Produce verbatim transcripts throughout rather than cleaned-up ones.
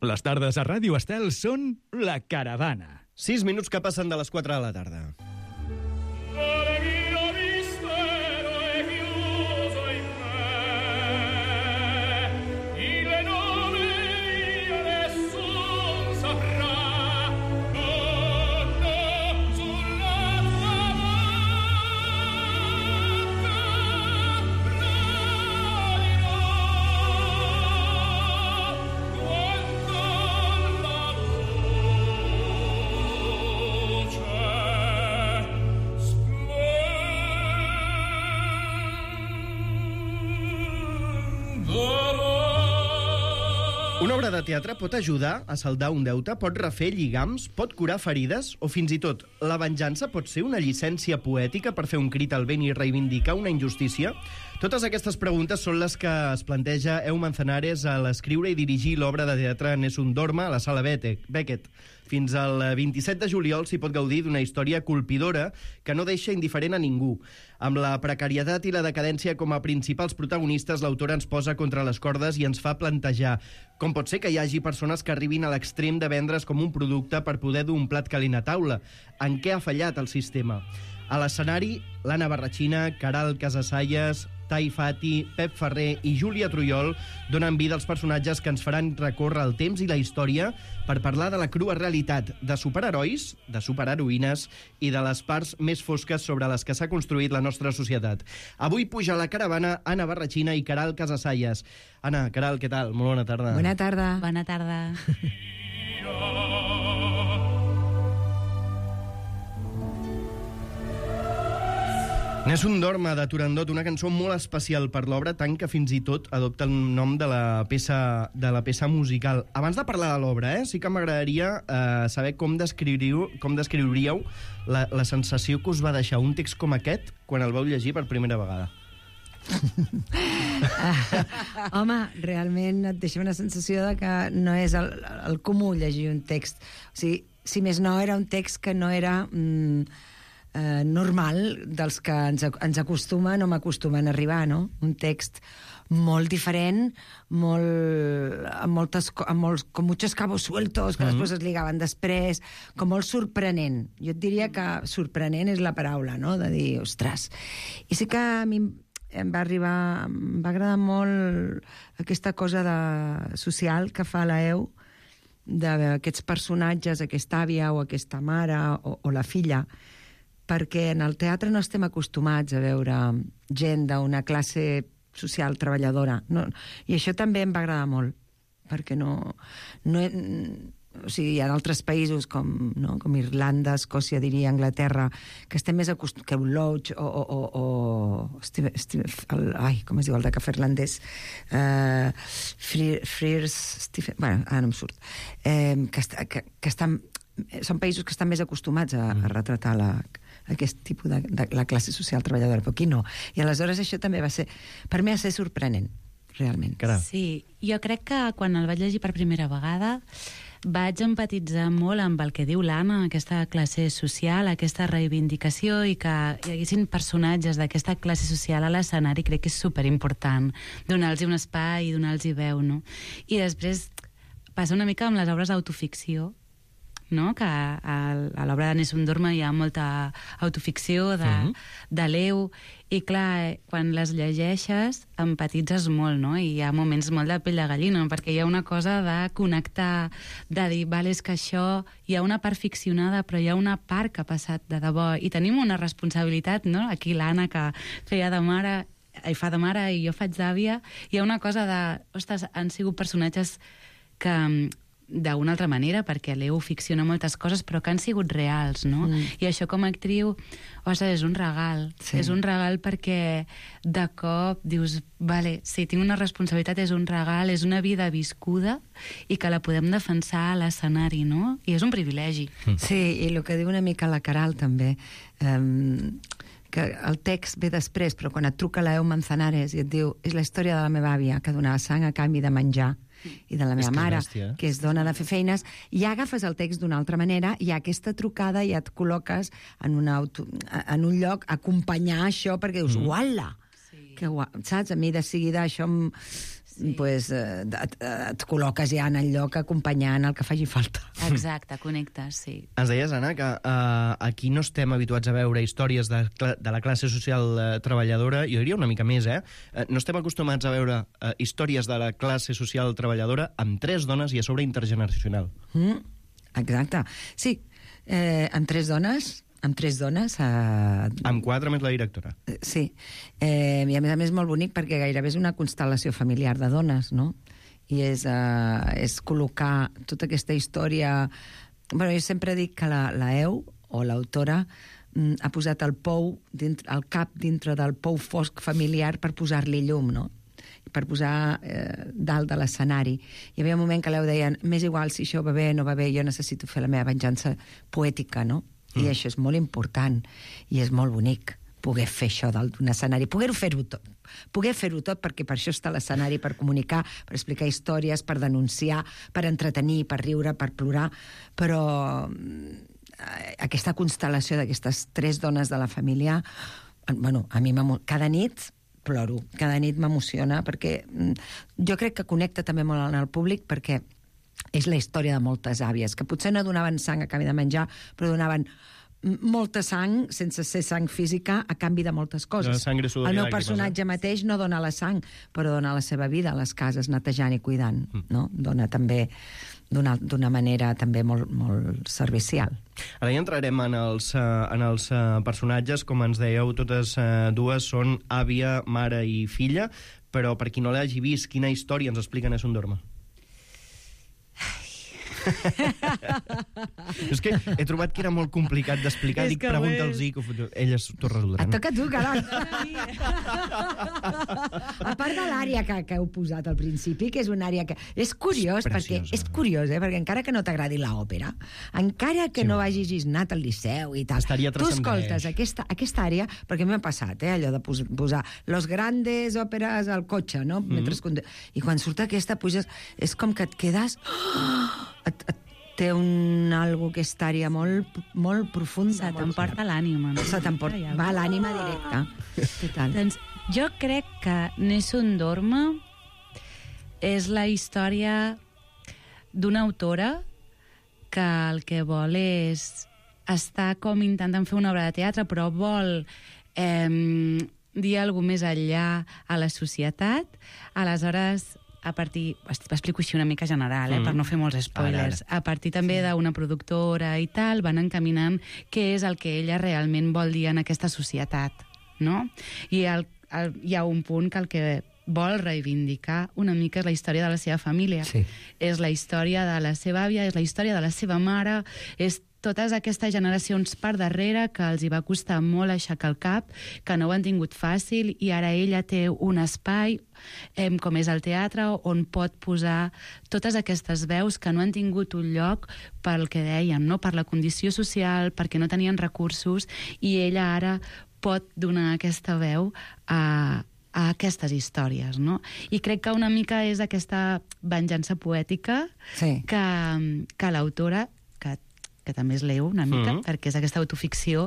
Les tardes a Ràdio Estel són La Caravana. Sis minuts que passen de les quatre de la tarda. Una obra de teatre pot ajudar a saldar un deute, pot refer lligams, pot curar ferides, o fins i tot la venjança pot ser una llicència poètica per fer un crit al vent i reivindicar una injustícia? Totes aquestes preguntes són les que es planteja Eeu Manzanares a l'escriure i dirigir l'obra de teatre Nessun Dorma a la Sala Beckett. Fins al vint-i-set de juliol s'hi pot gaudir d'una història colpidora que no deixa indiferent a ningú. Amb la precarietat i la decadència com a principals protagonistes, l'autora ens posa contra les cordes i ens fa plantejar com pot ser que hi hagi persones que arribin a l'extrem de vendre's com un producte per poder dur un plat calent a taula. En què ha fallat el sistema? A l'escenari, l'Anna Barrachina, Caral Casasallas, Tai Fati, Pep Ferrer i Júlia Trujol donen vida als personatges que ens faran recórrer el temps i la història per parlar de la crua realitat de superherois, de superheroïnes i de les parts més fosques sobre les que s'ha construït la nostra societat. Avui puja a la caravana Anna Barrachina i Caral Casasallas. Anna, Caral, què tal? Molt bona tarda. Bona tarda. Bona tarda. Nessun Dorma, de Turandot, una cançó molt especial per l'obra, tant que fins i tot adopta el nom de la peça, de la peça musical. Abans de parlar de l'obra, eh, sí que m'agradaria eh, saber com descriuríeu, com descriuríeu la, la sensació que us va deixar un text com aquest quan el vau llegir per primera vegada. Home, realment et deixa una sensació de que no és el, el comú llegir un text. O sigui, si més no, era un text que no era... Mm, Eh, normal dels que ens, ens acostumen o m'acostumen a arribar, no? Un text molt diferent, molt, amb, moltes, amb molts, com muchos cabos sueltos que mm-hmm. després es ligaven després, com molt sorprenent. Jo et diria que sorprenent és la paraula, no? De dir, ostres. I sí que a mi em va arribar, em va agradar molt aquesta cosa de, social que fa la Eeu, d'aquests personatges, aquesta àvia o aquesta mare o, o la filla, perquè en el teatre no estem acostumats a veure gent d'una classe social treballadora. No, i això també em va agradar molt, perquè no... no o sigui, hi ha altres països com, no, com Irlanda, Escòcia, diria, Anglaterra, que estem més acostumats... que un Loach o... o, o, o Steve, Steve, el, ai, com es diu, el de cafè irlandès? Uh, Frears... Steve, bueno, ara no em surt. Eh, que, que, que estan... Són països que estan més acostumats a, a retratar la, aquest tipus de, de la classe social treballadora, però aquí no. I aleshores això també va ser, per mi va ser sorprenent, realment. Caram. Sí, jo crec que quan el vaig llegir per primera vegada vaig empatitzar molt amb el que diu l'Anna, aquesta classe social, aquesta reivindicació, i que hi haguessin personatges d'aquesta classe social a l'escenari, crec que és superimportant donar-los un espai i donar-los veu, no? I després passa una mica amb les obres d'autoficció, no? Que a, a l'obra de Nessun Dorma hi ha molta autoficció de, uh-huh. de l'Eeu, i clar, quan les llegeixes empatitzes molt, no? I hi ha moments molt de pell de gallina, perquè hi ha una cosa de connectar, de dir, vale, és que això hi ha una part ficcionada, però hi ha una part que ha passat de debò, i tenim una responsabilitat, no? Aquí l'Anna, que feia de mare, i fa de mare, i jo faig d'àvia, hi ha una cosa de, ostres, han sigut personatges que d'una altra manera, perquè l'Eeu ficciona moltes coses, però que han sigut reals, no? Mm. I això com a actriu, ostres, és un regal. Sí. És un regal perquè de cop dius, vale, sí, tinc una responsabilitat, és un regal, és una vida viscuda i que la podem defensar a l'escenari, no? I és un privilegi. Mm. Sí, i el que diu una mica la Caral també, um, que el text ve després, però quan et truca l'Eeu Manzanares i et diu, és la història de la meva àvia que donava sang a canvi de menjar, i de la meva mare, bèstia, que és dona de fer feines, i ja agafes el text d'una altra manera, i aquesta trucada ja et col·loques en, una auto, en un lloc a acompanyar això, perquè dius, mm. uala, sí. que guai, saps? A mi de seguida això em, sí. pues, eh, et, et col·loques ja en el lloc acompanyant el que faci falta. Exacte, connectes, sí. Ens deies, Anna, que uh, aquí no estem habituats a veure històries de, de la classe social uh, treballadora, jo diria una mica més, eh? Uh, no estem acostumats a veure uh, històries de la classe social treballadora amb tres dones i a sobre intergeneracional. Mm, exacte. Sí, eh, amb tres dones... amb tres dones... Eh... Amb quatre més la directora. Sí. Eh, I a més a més molt bonic perquè gairebé és una constel·lació familiar de dones, no? I és, eh, és col·locar tota aquesta història... Bueno, jo sempre dic que la, la E U, o l'autora, mm, ha posat el pou, dintre, el cap dintre del pou fosc familiar per posar-li llum, no? Per posar eh, dalt de l'escenari. Hi havia un moment que l'Eu deien m'és igual si això va bé o no va bé, jo necessito fer la meva venjança poètica, no? I mm. això és molt important i és molt bonic poder fer això dalt d'un escenari, poder fer-ho tot poder fer-ho tot perquè per això està l'escenari, per comunicar, per explicar històries, per denunciar, per entretenir, per riure, per plorar, però eh, aquesta constel·lació d'aquestes tres dones de la família, bueno, a mi cada nit ploro, cada nit m'emociona perquè jo crec que connecta també molt en el públic perquè és la història de moltes àvies, que potser no donaven sang a canvi de menjar, però donaven molta sang, sense ser sang física, a canvi de moltes coses. El meu personatge mateix no dona la sang, però dona la seva vida a les cases, netejant i cuidant. Mm. No? Dona també d'una manera també molt, molt servicial. Ara ja entrarem en els, en els personatges, com ens dèieu, totes dues són àvia, mare i filla, però per qui no l'hagi vist, quina història ens expliquen a Sondorma? És que he trobat que era molt complicat d'explicar. Dic, pregunta'ls-hi, que elles t'ho resoldran. Et toca a tu, caram. A part de l'àrea que, que heu posat al principi, que és una àrea que... És curiós, és perquè és curiós, eh? Perquè encara que no t'agradi l'òpera, encara que sí, no hagis anat al Liceu i tal, tu escoltes aquesta, aquesta àrea, perquè m'ha passat, eh, allò de posar los grandes òperes al cotxe, no? Mm-hmm. Mentre... I quan surt aquesta, puges... És com que et quedes... Oh! Et, et té un algo que estaria molt, molt profund. Se t'emporta l'ànima. No? Se t'emporta, va l'ànima directa. Total. Doncs jo crec que Nessun Dorma és la història d'una autora que el que vol és estar com intentant fer una obra de teatre, però vol eh, dir alguna més enllà a la societat. Aleshores, a partir, explico així una mica general, eh, mm. per no fer molts spoilers, ara, ara. A partir també sí. d'una productora i tal, van encaminant què és el que ella realment vol dir en aquesta societat, no? I el, el, hi ha un punt que el que vol reivindicar una mica és la història de la seva família. Sí. És la història de la seva àvia, és la història de la seva mare, és totes aquestes generacions per darrere que els hi va costar molt aixecar el cap, que no ho han tingut fàcil, i ara ella té un espai, eh, com és el teatre, on pot posar totes aquestes veus que no han tingut un lloc pel que dèiem, no? Per la condició social, perquè no tenien recursos, i ella ara pot donar aquesta veu a, a aquestes històries, no? I crec que una mica és aquesta venjança poètica sí. que, que l'autora, que que també és l'Eu una mica, mm-hmm. perquè és aquesta autoficció,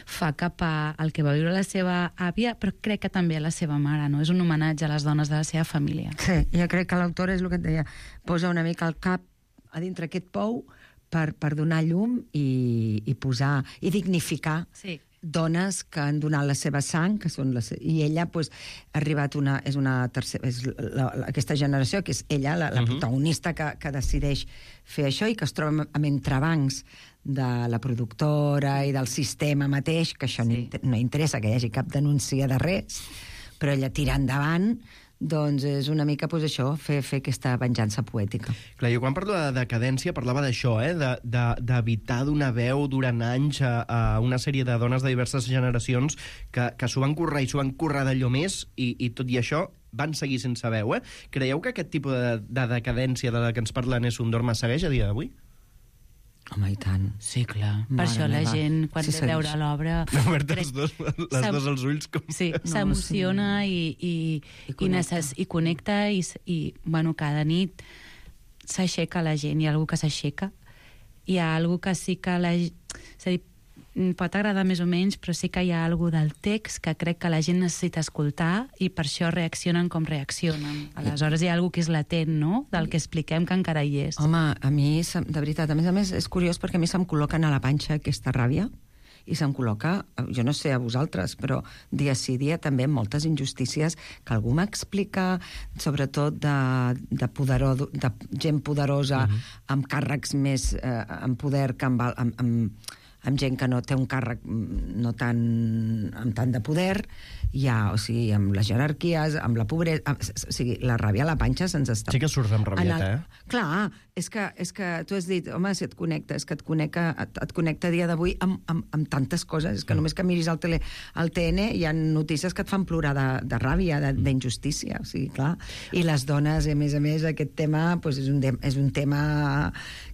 fa cap al que va viure la seva àvia, però crec que també a la seva mare, no? És un homenatge a les dones de la seva família. Sí, jo crec que l'autora és el que et deia, posa una mica el cap a dintre aquest pou per, per donar llum i, i posar, i dignificar sí. dones que han donat la seva sang, que són les, i ella pues, ha arribat una, és una tercera, és la, la, aquesta generació, que és ella, la, la uh-huh. protagonista que, que decideix fer això i que es troba amb entrebancs de la productora i del sistema mateix, que això sí. no, no interessa que hi hagi cap denúncia de res, però ella tira endavant, doncs és una mica pues, això, fer, fer aquesta venjança poètica. Clar, jo quan parlo de decadència parlava d'això, eh? d'evitar de, donar veu durant anys a, a una sèrie de dones de diverses generacions que, que s'ho van currar i s'ho van currar d'allò més i, i tot i això van seguir sense veu. Eh? Creieu que aquest tipus de, de decadència de la que ens parla Nessun Dorma segueix a dia d'avui? Home, i tant. Sí, clar. Mare per això la meva. gent, quan sí, ve a veure l'obra... Oberta els dos, les dos als ulls. Com... Sí, s'emociona no, sí. i, i, i, i, necess... i connecta i, i, bueno, cada nit s'aixeca la gent. Hi ha algú que s'aixeca. Hi ha algú que sí que la... És a dir, pot agradar més o menys, però sí que hi ha alguna del text que crec que la gent necessita escoltar i per això reaccionen com reaccionen. Aleshores hi ha alguna que és latent, no?, del que expliquem que encara hi és. Home, a mi, de veritat, a més a més, és curiós perquè a mi se'm col·loquen a la panxa aquesta ràbia i se'm col·loca, jo no sé a vosaltres, però dia sí dia també moltes injustícies que algú m'explica, sobretot de, de, poderó, de gent poderosa, uh-huh. amb càrrecs més eh, amb poder que amb, amb, amb, amb gent que no té un càrrec no tan, amb tant de poder, ja, o sigui, amb les jerarquies, amb la pobresa, amb, o sigui, la ràbia a la panxa se'ns està... Sí que surts amb rabieta, el, eh? Clar, és que, és que tu has dit, home, si et connecta, és que et connecta, et, et connecta a dia d'avui amb, amb, amb tantes coses, és que només que miris el, tele, el T N hi ha notícies que et fan plorar de, de ràbia, d'injustícia, o sigui, clar. I les dones, a més a més, aquest tema pues, és, un, és un tema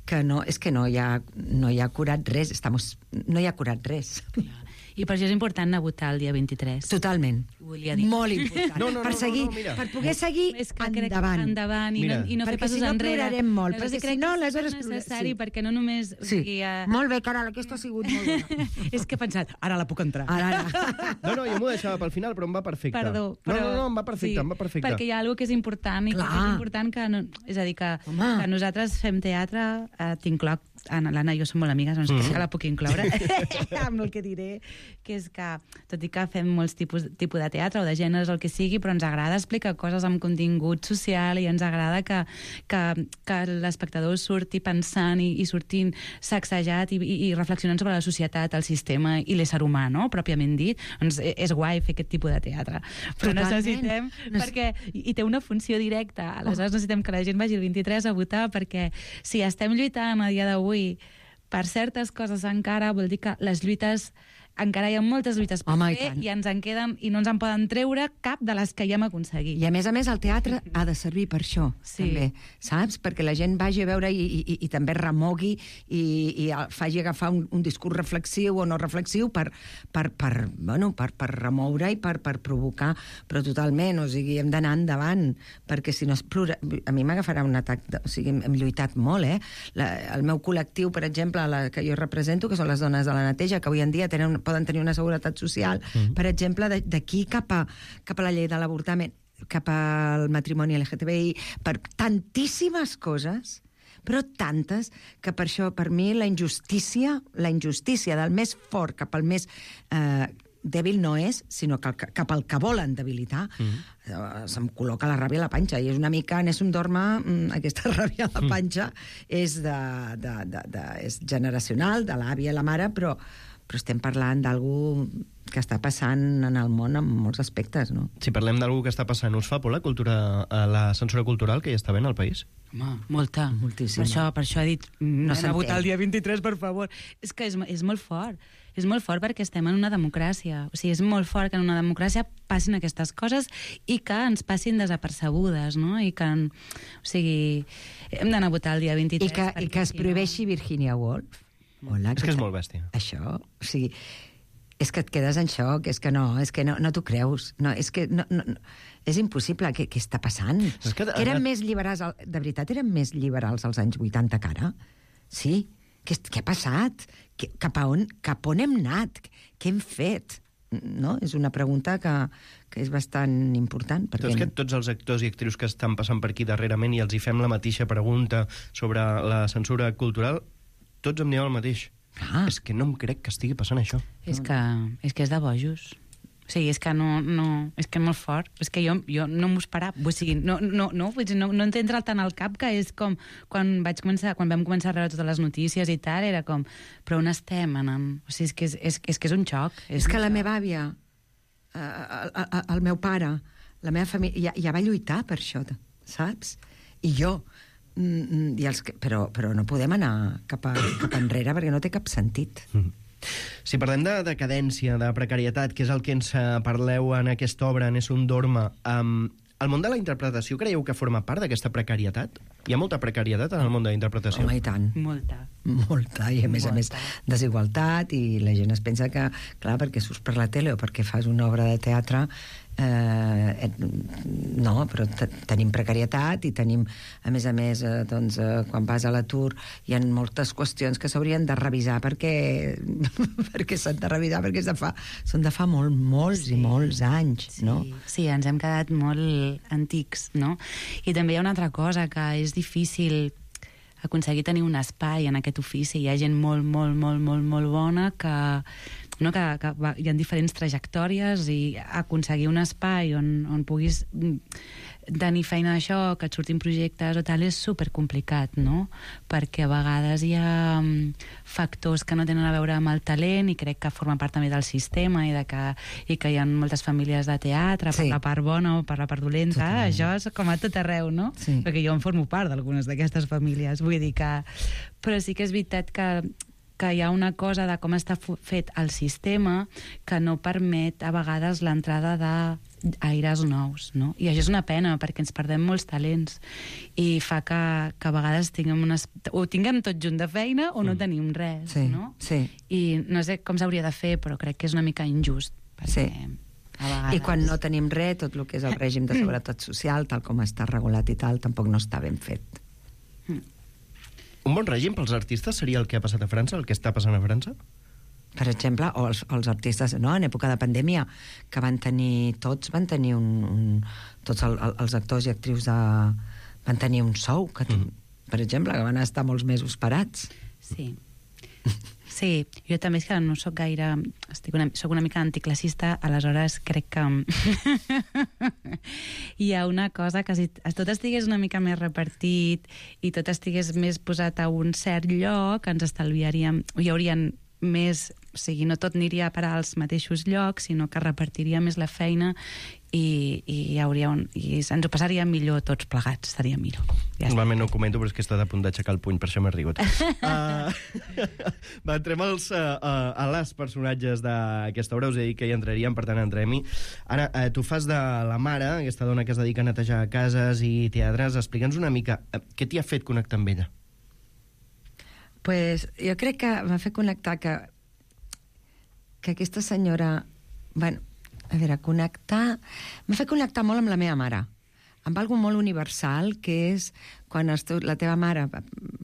que no, és que no hi ha, no hi ha curat res, estamos, no hi ha curat res. I per això és important anar a votar el dia vint-i-tres. Totalment. Volia dir. Molt important. No, no, no, per seguir, no, no, mira. per poder seguir és que endavant. endavant i mira. no, i no fer perquè passos si no enrere. plorarem molt, Aleshores, perquè si no, aleshores... És necessari, sí. perquè no només... O Sí, sigui, uh... molt bé, Caral, aquesta ha sigut molt bona. és que he pensat, ara la puc entrar. Ara, ara. No, no, jo m'ho deixava pel final, però em va perfecte. Perdó, però... No, no, no, em va perfecte, sí, em va perfecte. Perquè hi ha alguna que és important i Clar. que és important que... No, és a dir, que, que nosaltres fem teatre, eh, t'incloc, l'Anna i jo som molt amigues, doncs mm-hmm. que la puc incloure, amb el que diré, que és que, tot i que fem molts tipus, tipus de teatre o de gèneres, el que sigui, però ens agrada explicar coses amb contingut social i ens agrada que, que, que l'espectador surti pensant i, i sortint sacsejat i, i, i reflexionant sobre la societat, el sistema i l'ésser humà, no?, pròpiament dit. Doncs és guai fer aquest tipus de teatre. Però Totalment. necessitem... No és... perquè i té una funció directa. Aleshores necessitem que la gent vagi el vint-i-tres a votar, perquè si estem lluitant a dia d'avui per certes coses encara, vol dir que les lluites... encara hi ha moltes lluites per Home, i fer tant. i ens en queden i no ens en poden treure cap de les que ja hem aconseguit. I a més a més el teatre ha de servir per això, Sí. també, saps? Perquè la gent vagi a veure i, i, i també remogui i, i faci agafar un, un discurs reflexiu o no reflexiu per, per, per, bueno, per, per remoure i per, per provocar, però totalment, o sigui, hem d'anar endavant, perquè si no es plura... A mi m'agafarà un atac, de, o sigui, hem, hem lluitat molt, eh? La, el meu col·lectiu, per exemple, la que jo represento, que són les dones de la neteja, que avui en dia tenen, poden tenir una seguretat social, mm-hmm. per exemple, d'aquí cap a, cap a la llei de l'avortament, cap al matrimoni L G T B I, per tantíssimes coses, però tantes, que per això, per mi, la injustícia, la injustícia del més fort cap al més eh, dèbil no és, sinó que cap al que volen debilitar, mm-hmm. eh, se'm col·loca la ràbia a la panxa, i és una mica, Nessun Dorma, aquesta ràbia a la panxa és, de, de, de, de, és generacional, de l'àvia i la mare, però però estem parlant d'algú que està passant en el món en molts aspectes, no? Si parlem d'algú que està passant, us fa por la, cultura, la censura cultural que hi està havent al país? Home, molta. Moltíssima. Per això, per això he dit, no s'entén. a votar el dia vint-i-tres, per favor. És que és, és molt fort. És molt fort perquè estem en una democràcia. O sigui, és molt fort que en una democràcia passin aquestes coses i que ens passin desapercebudes, no? I que, o sigui, hem d'anar a votar el dia vint-i-tres. I que, i que es prohibeixi Virginia Woolf. Hola, És que és molt bèstia. Això, o sigui, és que et quedes en xoc, és que no, és que no, no t'ho creus, no, és que no, no, no, és impossible, què, què està passant? És que... Eren més liberals, de veritat, eren més liberals als anys vuitanta que ara? Sí? Què, què ha passat? Que, cap, a on, cap on hem anat? Què hem fet? No? És una pregunta que, que és bastant important. Perquè... És que tots els actors i actrius que estan passant per aquí darrerament i els hi fem la mateixa pregunta sobre la censura cultural, tots em diuen el mateix. Ah. És que no em crec que estigui passant això. És que és, que és de bojos. O sigui, és que no... no és que és molt fort. És que jo, jo no m'ho esperava. O sigui, no, no, no, vull dir, no, no entendre tant al cap que és com... Quan vaig començar, quan vam començar a rebre totes les notícies i tal, era com... Però on estem, anant? O sigui, és que és, és, és, que és un xoc. És, És que la xoc. meva àvia, eh, el meu pare, la meva família, ja, ja va lluitar per això, saps? I jo... I els, però, però no podem anar cap, a, cap enrere perquè no té cap sentit. Mm. Si parlem de decadència, de precarietat, que és el que ens parleu en aquesta obra, Nessun Dorma, um, el món de la interpretació creieu que forma part d'aquesta precarietat? Hi ha molta precarietat en el món de la interpretació? Home, i tant. Molta. Molta, i a més Molta. a més desigualtat, i la gent es pensa que, clar, perquè surts per la tele o perquè fas una obra de teatre Eh, no, però tenim precarietat i tenim, a més a més, eh, doncs, eh, quan vas a l'atur hi ha moltes qüestions que s'haurien de revisar perquè, perquè s'han de revisar perquè de fa, són de fa molt, molts sí. i molts anys, sí. no? Sí, ens hem quedat molt antics, no? I també hi ha una altra cosa, que és difícil aconseguir tenir un espai en aquest ofici. Hi ha gent molt, molt, molt, molt, molt bona que, no, que, que va, hi ha diferents trajectòries i aconseguir un espai on, on puguis tenir feina d'això, que et surtin projectes o tal, és supercomplicat, no? Perquè a vegades hi ha factors que no tenen a veure amb el talent i crec que forma part també del sistema i, de que, i que hi ha moltes famílies de teatre, sí. per la part bona o per la part dolenta. Totalment. Això és com a tot arreu, no? Sí. Perquè jo en formo part d'algunes d'aquestes famílies. Vull dir que... Però sí que és veritat que que hi ha una cosa de com està fet el sistema que no permet a vegades l'entrada d'aires nous, no? I això és una pena, perquè ens perdem molts talents i fa que, que a vegades tinguem unes... o tinguem tot junt de feina o no mm. tenim res, sí, no? Sí. I no sé com s'hauria de fer, però crec que és una mica injust, perquè... Sí. I quan no tenim res, tot el que és el règim de seguretat social, tal com està regulat i tal, tampoc no està ben fet. Mm. Un bon règim pels artistes seria el que ha passat a França, el que està passant a França? Per exemple, o els, els artistes, no?, en època de pandèmia, que van tenir, tots van tenir un... un tots el, el, els actors i actrius de, van tenir un sou, que, mm. per exemple, que van estar molts mesos parats. Sí. Sí, jo també és que no sóc gaire... Estic una, soc una mica anticlassista, aleshores crec que hi ha una cosa que si tot estigués una mica més repartit i tot estigués més posat a un cert lloc, ens estalviaríem... Hi haurien més... O sigui, no tot aniria a parar als mateixos llocs, sinó que repartiria més la feina i, i, hi hauria un, i ens ho passaria millor tots plegats, estaria millor. Ja Normalment no ho comento, però és que he estat a punt d'aixecar el puny, per això m'he rigut. uh, va, entrem als, uh, uh, a les personatges d'aquesta obra, us he dit que hi entraríem, per tant entrem-hi. Ara, uh, tu fas de la mare, aquesta dona que es dedica a netejar cases i teatres. Explica'ns una mica, uh, què t'hi ha fet connectar amb ella? Pues jo crec que m'ha fet connectar que que aquesta senyora, bueno, a veure, connectar... M'ha fet connectar molt amb la meva mare, amb algo molt universal, que és quan els teu, la teva mare,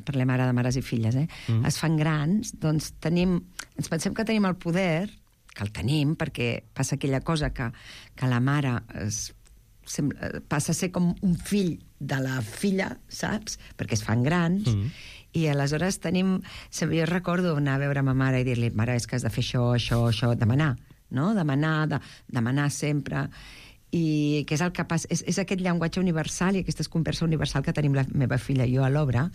parlem ara de mares i filles, eh, mm. es fan grans, doncs tenim, ens pensem que tenim el poder, que el tenim, perquè passa aquella cosa que, que la mare es, sembla, passa a ser com un fill de la filla, saps? Perquè es fan grans, mm. i aleshores tenim... Jo recordo anar a veure ma mare i dir-li, mare, és que has de fer això, això, això, demanar, no? Demanar, de, demanar sempre... I que és el que passa, és, és aquest llenguatge universal i aquesta conversa universal que tenim la meva filla i jo a l'obra,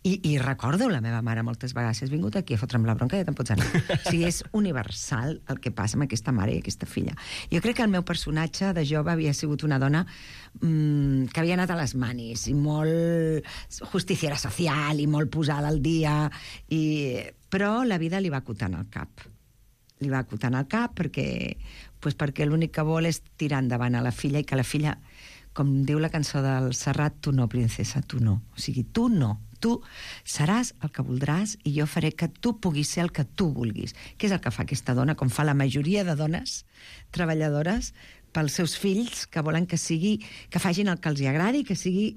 i, i recordo la meva mare moltes vegades, si has vingut aquí a fotre'm la bronca ja te'n pots anar. O sigui, és universal el que passa amb aquesta mare i aquesta filla. Jo crec que el meu personatge de jove havia sigut una dona mmm, que havia anat a les manis i molt justiciera social i molt posada al dia, i... però la vida li va acotant al cap. Li va acotant al cap perquè, pues perquè l'únic que vol és tirar endavant a la filla i que la filla, com diu la cançó del Serrat, tu no, princesa, tu no. O sigui, tu no. Tu seràs el que voldràs i jo faré que tu puguis ser el que tu vulguis. Què és el que fa aquesta dona, com fa la majoria de dones treballadores pels seus fills, que volen que sigui, que facin el que els agradi, que sigui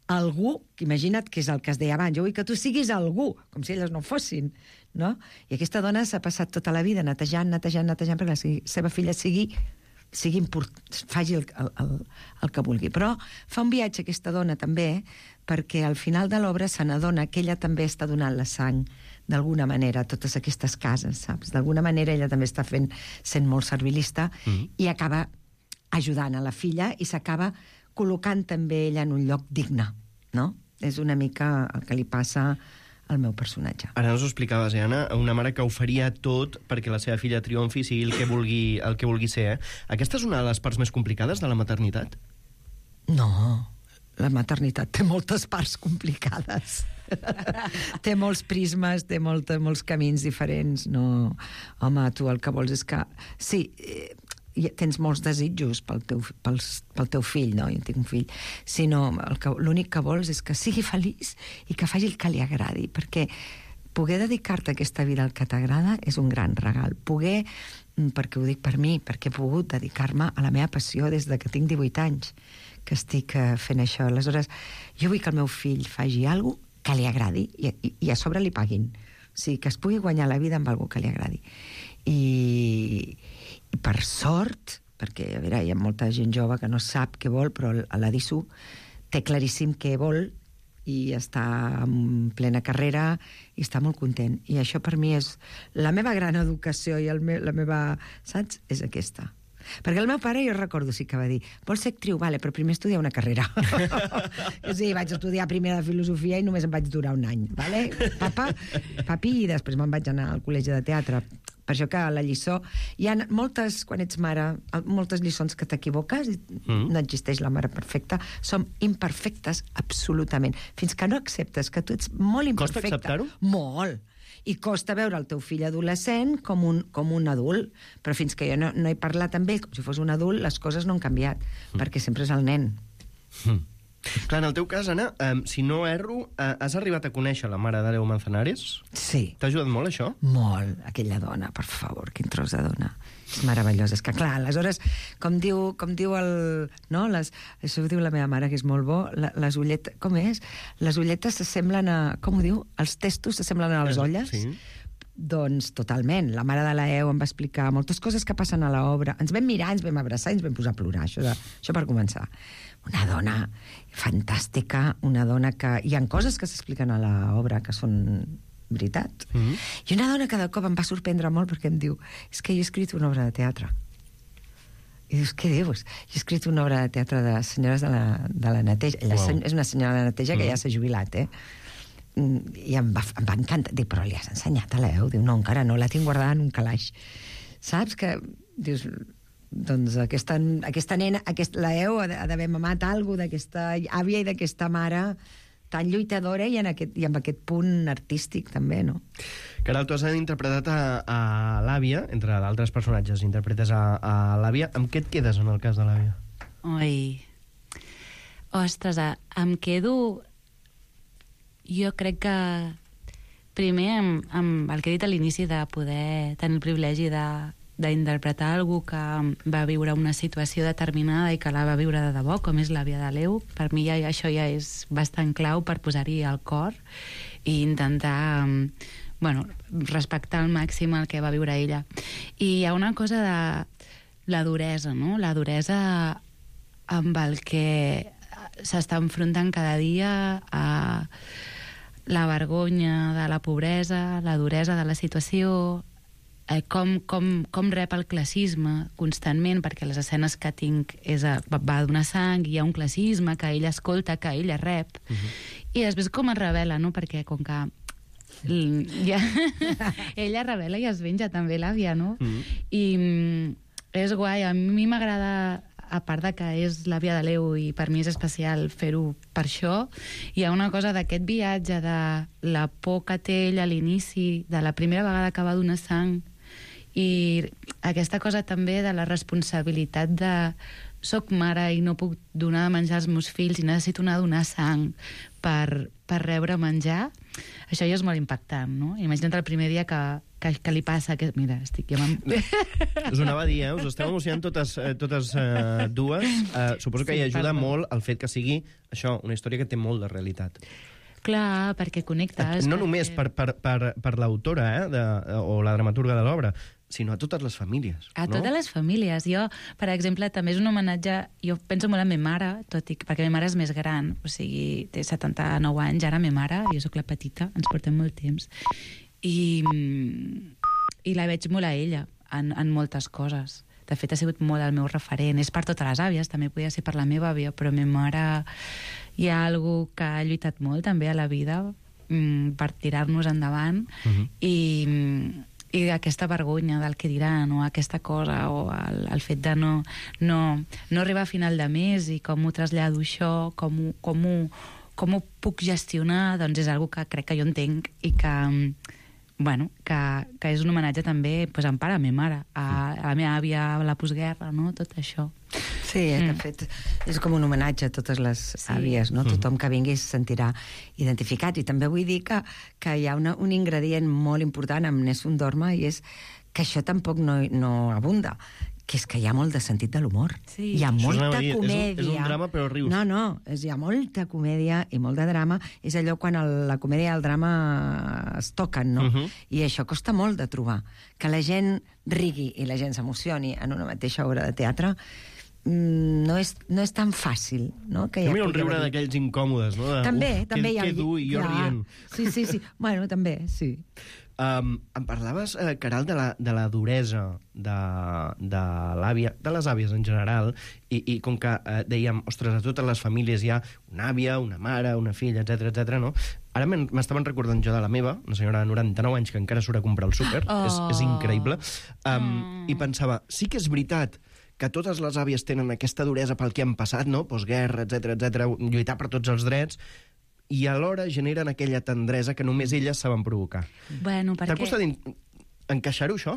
algú, que imagina't que és el que es deia abans, jo vull que tu siguis algú, com si elles no fossin, no? I aquesta dona s'ha passat tota la vida netejant, netejant, netejant, perquè la seva filla sigui, sigui import, faci el, el, el, el que vulgui. Però fa un viatge aquesta dona també, perquè al final de l'obra se n'adona que ella també està donant la sang d'alguna manera a totes aquestes cases, saps? D'alguna manera ella també està fent, sent molt servilista, mm-hmm. i acaba ajudant a la filla i s'acaba col·locant també ella en un lloc digne, no? És una mica el que li passa al meu personatge. Ara ens ho explicaves, eh, Anna? Una mare que ho faria tot perquè la seva filla triomfi, sigui el que vulgui, el que vulgui ser, eh? Aquesta és una de les parts més complicades de la maternitat? No, la maternitat té moltes parts complicades. Té molts prismes, té molt, molts camins diferents. No, home, tu el que vols és que... Sí, eh, tens molts desitjos pel teu, pel, pel teu fill, no? Jo tinc un fill, sinó l'únic que vols és que sigui feliç i que faci el que li agradi, perquè poder dedicar-te a aquesta vida al que t'agrada és un gran regal. Poder, perquè ho dic per mi, perquè he pogut dedicar-me a la meva passió des de que tinc divuit anys, que estic fent això. Aleshores, jo vull que el meu fill faci alguna cosa que li agradi i, i, i a sobre li paguin. O sigui, que es pugui guanyar la vida amb alguna que li agradi. I, i per sort, perquè a veure, hi ha molta gent jove que no sap què vol, però l'A D I S U té claríssim què vol i està en plena carrera i està molt content. I això per mi és la meva gran educació i el me, la meva, saps? És aquesta. Perquè el meu pare, jo recordo, sí que va dir vols ser actriu? Vale, però primer estudiar una carrera. Sí, vaig estudiar primer de filosofia i només em vaig durar un any, vale? Papa, papi, i després me'n vaig anar al col·legi de teatre. Per això que la lliçó... Hi ha moltes, quan ets mare, moltes lliçons que t'equivoques i mm. no existeix la mare perfecta. Som imperfectes, absolutament. Fins que no acceptes que tu ets molt imperfecte. Costa acceptar-ho? Molt. I costa veure el teu fill adolescent com un, com un adult. Però fins que jo no, no he parlat amb ell com si fos un adult, les coses no han canviat, mm. perquè sempre és el nen. Mm. Clar, en el teu cas, Anna, um, si no erro, uh, has arribat a conèixer la mare d'Àleu Manzanares? Sí. T'ha ajudat molt, això? Molt. Aquella dona, per favor, quin tros de dona. És meravellosa. És que, clar, aleshores, com diu, com diu el... No? Les, això ho diu la meva mare, que és molt bo. La, les ulletes... Com és? Les ulletes s'assemblen a... Com ho diu? Els testos s'assemblen a les olles? Sí. Doncs totalment. La mare de l'Aeu em va explicar moltes coses que passen a l'obra. Ens vam mirar, ens vam abraçar i ens vam posar a plorar. Això, de, això per començar. Una dona fantàstica, una dona que... Hi ha coses que s'expliquen a l'obra que són veritat. Mm-hmm. I una dona que de cop em va sorprendre molt perquè em diu és que jo he escrit una obra de teatre. I dius, què dius? Jo he escrit una obra de teatre de senyores de la, de la neteja. Ella wow. és una senyora de neteja que mm. ja s'ha jubilat, eh? I em va, em va encantar. Dic, però li has ensenyat a l'Eu? Diu, no, encara no, la tinc guardada en un calaix. Saps que... Dius... Doncs aquesta, aquesta nena, aquest, la Eu ha d'haver mamat alguna cosa d'aquesta àvia i d'aquesta mare tan lluitadora i, en aquest, i amb aquest punt artístic també, no? Caral, tu has interpretat a, a l'àvia, entre d'altres personatges, interpretes a, a l'àvia. Amb què et quedes en el cas de l'àvia? Oi... Ostres, em quedo... Jo crec que primer amb, amb el que he dit a l'inici de poder tenir el privilegi de d'interpretar algú que va viure una situació determinada i que la va viure de debò, com és l'àvia de l'Eu. Per mi ja, això ja és bastant clau per posar-hi el cor i intentar bueno, respectar al màxim el que va viure ella. I hi ha una cosa de la duresa, no? La duresa amb el que s'està enfrontant cada dia a la vergonya de la pobresa, la duresa de la situació, Eh, com, com, com rep el classisme constantment, perquè les escenes que tinc és a, va donar sang, hi ha un classisme que ella escolta, que ella rep, uh-huh. i després com es revela, no? Perquè com que ja, ella revela i es venja també l'àvia, no? Uh-huh. I és guai, a mi m'agrada, a part de que és l'àvia de l'Eu i per mi és especial fer-ho per això, hi ha una cosa d'aquest viatge de la por que té ella a l'inici, de la primera vegada que va donar sang, i aquesta cosa també de la responsabilitat de soc mare i no puc donar de menjar als meus fills i necessito anar a donar sang per, per rebre menjar, això ja és molt impactant, no? Imagina't el primer dia que, que, que li passa que... Mira, estic ja... Us ho anava a dir, eh? Us esteu emocionant totes, eh, totes eh, dues. Eh, suposo que sí, hi ajuda perdó. molt el fet que sigui això, una història que té molt de realitat. Clar, perquè connectes. No perquè... només per, per, per, per l'autora eh, de, o la dramaturga de l'obra, sinó a totes les famílies. A no? totes les famílies. Jo, per exemple, també és un homenatge... Jo penso molt en ma mare, tot i que, perquè ma mare és més gran, o sigui, té setanta-nou anys, ara ma mare, jo sóc la petita, ens portem molt temps, i, i la veig molt a ella, en, en moltes coses. De fet, ha sigut molt el meu referent. És per totes les àvies, també podia ser per la meva àvia, però ma mare hi ha algú que ha lluitat molt també a la vida mm, per tirar-nos endavant, uh-huh. i... i aquesta vergonya del que diran, o aquesta cosa, o el, el fet de no, no, no arribar a final de mes i com ho trasllado això, com ho, com ho, com ho puc gestionar, doncs és una que crec que jo entenc i que, bueno, que, que és un homenatge també pues, en part a ma mare, a, a la meva àvia, a la postguerra, no? Tot això. Sí, de fet, és com un homenatge a totes les sí. àvies, no? Tothom que vingui es sentirà identificat. I també vull dir que, que hi ha una, un ingredient molt important amb Nessun Dorma, i és que això tampoc no, no abunda, que és que hi ha molt de sentit de l'humor. Sí. Hi ha Això molta dir, comèdia. És un, és un drama, però rius. No, no, és, hi ha molta comèdia i molt de drama. És allò quan el, la comèdia i el drama es toquen, no? Uh-huh. I això costa molt de trobar. Que la gent rigui i la gent s'emocioni en una mateixa obra de teatre mm, no, és, no és tan fàcil, no? Que Jo ja mira un pugui riure haver-hi. d'aquells incòmodes, no? De, També, uf, també que, hi ha... Que dur, i jo clar. rient. Sí, sí, sí. Bueno, també, sí. Um, em parlaves, eh, Caral, de la, de la duresa de, de l'àvia, de les àvies en general, i, i com que eh, dèiem, ostres, a totes les famílies hi ha una àvia, una mare, una filla, etc etc. no? Ara m'estaven recordant jo de la meva, una senyora de noranta-nou anys que encara surt a comprar el súper, Oh. és, és increïble, um, Mm. i pensava, sí que és veritat que totes les àvies tenen aquesta duresa pel que han passat, no? Postguerra, etc etc, lluitar per tots els drets, i alhora generen aquella tendresa que només elles saben provocar. Bueno, T'ha perquè... costat in- encaixar-ho, això?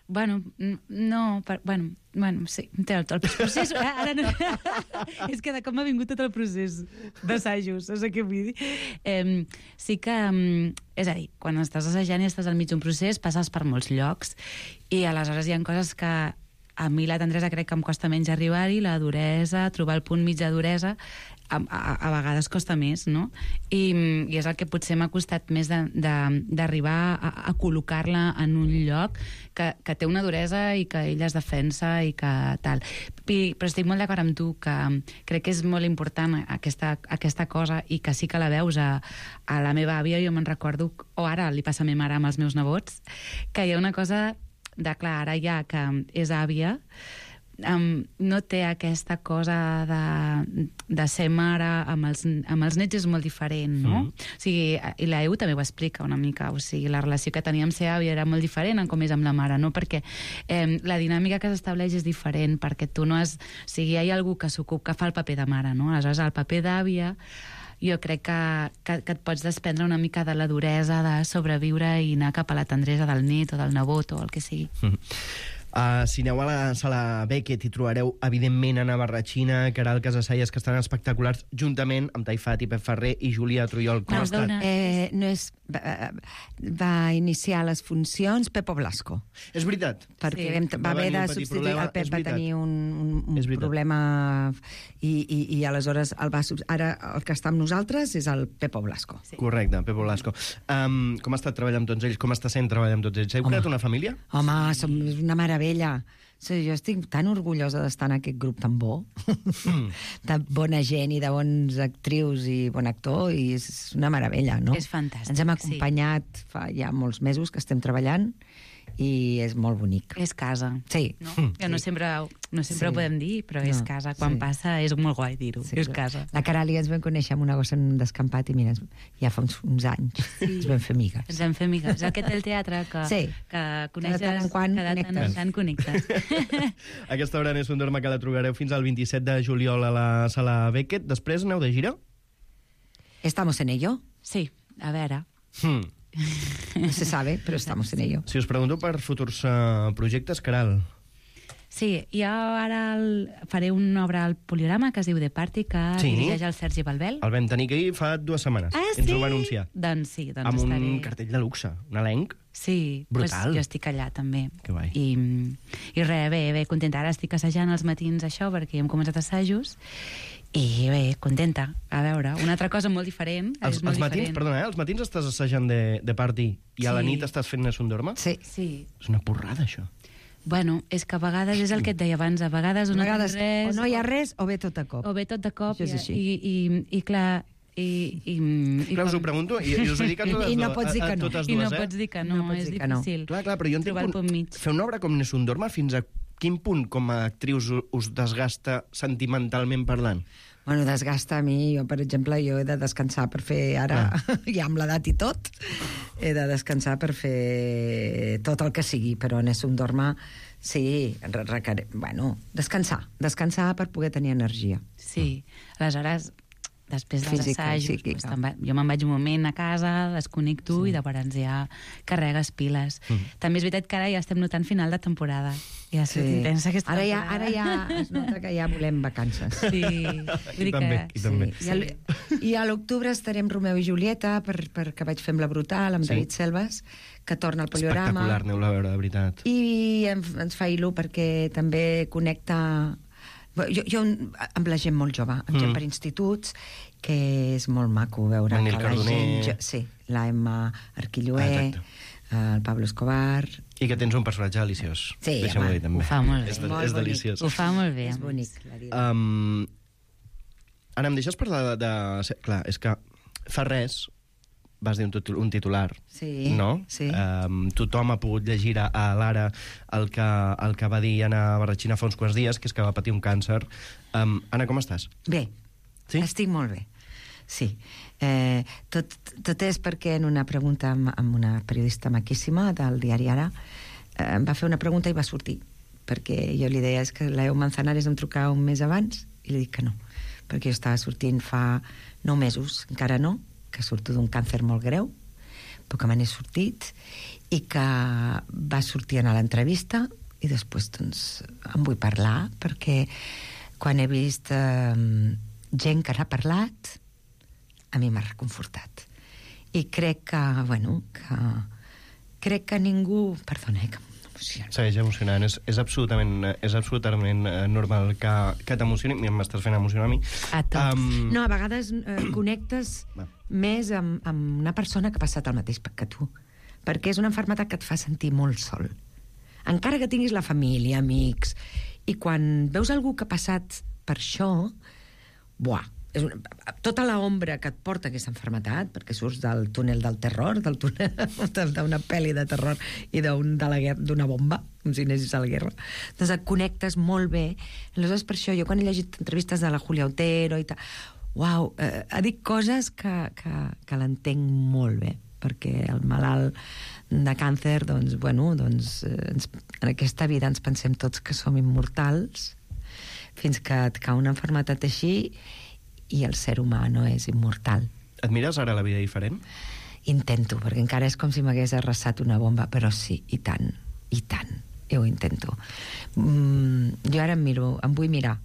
Bueno, n- no, per, bueno, bueno, sí, té el, el procés... Ara no, és que de com m'ha vingut tot el procés d'assajos, saps què vull dir? Eh, sí que, um, és a dir, quan estàs assajant i estàs al mig d'un procés, passes per molts llocs, i aleshores hi ha coses que a mi la tendresa crec que em costa menys arribar-hi, la duresa, trobar el punt mig de duresa, a, a, a vegades costa més, no? I, i és el que potser m'ha costat més d'arribar a, a col·locar-la en un lloc que, que té una duresa i que ella es defensa i que tal. I, però estic molt d'acord amb tu, que crec que és molt important aquesta, aquesta cosa, i que sí que la veus a, a la meva àvia. Jo me'n recordo, o ara li passa a ma mare amb els meus nebots, que hi ha una cosa de clar, ara ja que és àvia, um, no té aquesta cosa de, de ser mare amb els, amb els nets, és molt diferent, no? Mm. O sigui, i la Eu també ho explica una mica, o sigui, la relació que tenia amb ser àvia era molt diferent en com és amb la mare, no? Perquè eh, la dinàmica que s'estableix és diferent, perquè tu no has... O sigui, hi ha algú que s'ocupa, que fa el paper de mare, no? Aleshores, el paper d'àvia jo crec que, que, que et pots desprendre una mica de la duresa de sobreviure i anar cap a la tendresa del net o del nebot o el que sigui. Mm. Uh, si aneu a la sala Beckett hi trobareu, evidentment, Anna Barratxina, Caral Casasallas, que estan espectaculars, juntament amb Taifat i Pep Ferrer i Júlia Trujol. Com ha estat? Perdona. Eh, no és... Va, va iniciar les funcions Pepo Blasco, És veritat. perquè Sí. vam, Va va haver venir de un petit substituir... problema, El Pep és va veritat. tenir un, un, un És veritat. problema i, i, i aleshores el va, sub- ara el que està amb nosaltres és el Pepo Blasco. Sí. Correcte, Pepo Blasco. Um, com ha estat treballar amb tots ells? Com està sent treballar amb tots ells? Heu Home. creat una família? Home, som és una meravella. Sí, jo estic tan orgullosa d'estar en aquest grup tan bo, de bona gent i de bons actrius i bon actor, i és una meravella, no? És fantàstic, Ens hem sí. acompanyat fa ja molts mesos que estem treballant, i és molt bonic. És casa. Sí. No? Que no sempre, no sempre Sí. ho podem dir, però és No, casa. Quan sí. passa és molt guai dir-ho. Sí, és la- casa. La Caral i ens vam conèixer amb una gossa en un descampat i mira, ja fa uns, uns anys sí. ens vam fer amigues. Ens vam fer amigues. És el que té el teatre, que, Sí. que coneixes... Que de tant en quant que de tant en connectes. tant connectes. Aquesta obra és un dorma que la trobareu fins al vint-i-set de juliol a la sala Beckett. Després aneu de gira? Estamos en ello. Sí, a veure... Hmm. No se sabe, però estamos en ello. Si us pregunto per futurs uh, projectes, Caral. Sí, jo ara el, faré una obra al Poliorama que es diu The Party, que Sí. dirigeix el Sergi Balbel. El vam tenir aquí fa dues setmanes. Ah, Ens sí? ho va anunciar. Doncs sí, doncs Amb un estaré... cartell de luxe, un elenc. Sí, Brutal. Pues jo estic allà també. Que guai. I, i res, bé, bé, contenta. Ara estic assajant els matins això, perquè hem començat assajos, i bé, contenta. A veure, una altra cosa molt diferent. Els, és molt els matins, diferent. perdona, eh? Els matins estàs assajant de, de party i a la Sí. nit estàs fent Nessun Dorma? Sí. Sí. És una porrada, això. Bueno, és que a vegades és el que et deia abans, a vegades A no vegades tens res... o no hi ha res o bé tot a cop. O bé tot de cop, Això és i, així. i, i, i clar... I, i, i, Clar, us ho com- pregunto i, i us ho dic a totes, I no dues- pots dir a, a que no. totes I dues, no eh? pots dir que no, No pots és dir que no. difícil. Clar, clar, però jo entenc trobar el punt, punt mig. fer una obra com Nessun Dorma, fins a quin punt com a actrius us- us desgasta sentimentalment parlant? Bueno, desgasta a mi. Jo, per exemple, jo he de descansar per fer ara, Ah. ja amb l'edat i tot, he de descansar per fer tot el que sigui, però en un dorma, sí, requer... bueno, descansar, descansar per poder tenir energia. Sí, aleshores després dels Física i assajos, psíquica. doncs, te'n va- jo me'n vaig un moment a casa, desconnecto sí. i llavors ja carregues piles. Mm. També és veritat que ara ja estem notant final de temporada. Ja ha sigut Sí. intensa aquesta Ara ja, temporada. ara ja es nota que ja volem vacances. Sí, vull dir també, que... i també. I, al, I a l'octubre estarem Romeu i Julieta, per, perquè vaig fer amb la Brutal, amb Sí. David Selves, que torna al Poliorama. Espectacular, aneu-la a veure, de veritat. I em, ens fa il·lu perquè també connecta... Jo, jo amb la gent molt jove, amb mm. gent per instituts, que és molt maco veure Manel que la Cardoner. gent... Jo, sí, la Emma Arquilloé, Ah, el Pablo Escobar... I que tens un personatge deliciós. Sí, Deixa'm-ho home, dir, també. ho fa molt bé. És, de, Molt és bonic. deliciós. Ho fa molt bé. És a més. bonic, la Dina. Um, Anna, em deixes parlar de, de... Clar, és que fa res vas dir un, titu- un titular, Sí, no? sí. Um, tothom ha pogut llegir a, a l'Ara el que, el que va dir Anna Barratxina fa uns quants dies, que és que va patir un càncer. Um, Anna, com estàs? Bé, Sí? estic molt bé. Sí. Eh, tot, tot és perquè en una pregunta amb, amb una periodista maquíssima del diari Ara eh, em va fer una pregunta i va sortir. Perquè jo li deia, és que l'Eu Manzanares em trucava un mes abans i li dic que no. Perquè jo estava sortint fa nou mesos, encara no, que surto d'un càncer molt greu, però que me n'he sortit i que va sortir a l'entrevista i després doncs en vull parlar perquè quan he vist eh, gent que n'ha parlat a mi m'ha reconfortat i crec que, bueno que crec que ningú perdona, eh, que m'emociona. Segueix emocionant. És, és absolutament, és absolutament eh, normal que, que t'emocioni. Mira, m'estàs fent emocionar a mi. A tots. Um, No, a vegades eh, connectes Va. més amb, amb una persona que ha passat el mateix que tu, perquè és una malaltia que et fa sentir molt sol. Encara que tinguis la família, amics, i quan veus algú que ha passat per això, buah, és una, tota l'ombra que et porta aquesta malaltia, perquè surts del túnel del terror, del túnel d'una pel·li de terror i d'un, de la guerra, d'una bomba, com si anessis a la guerra, doncs et connectes molt bé. Aleshores, per això, jo quan he llegit entrevistes de la Julia Otero i tal, uau, eh, ha dit coses que, que, que l'entenc molt bé, perquè el malalt de càncer, doncs, bueno, doncs, eh, ens, en aquesta vida ens pensem tots que som immortals, fins que et cau una malaltia així i el ser humà no és immortal. Et mires ara la vida diferent? Intento, perquè encara és com si m'hagués arrasat una bomba, però sí, i tant, i tant, jo ho intento. Mm, jo ara em miro, em vull mirar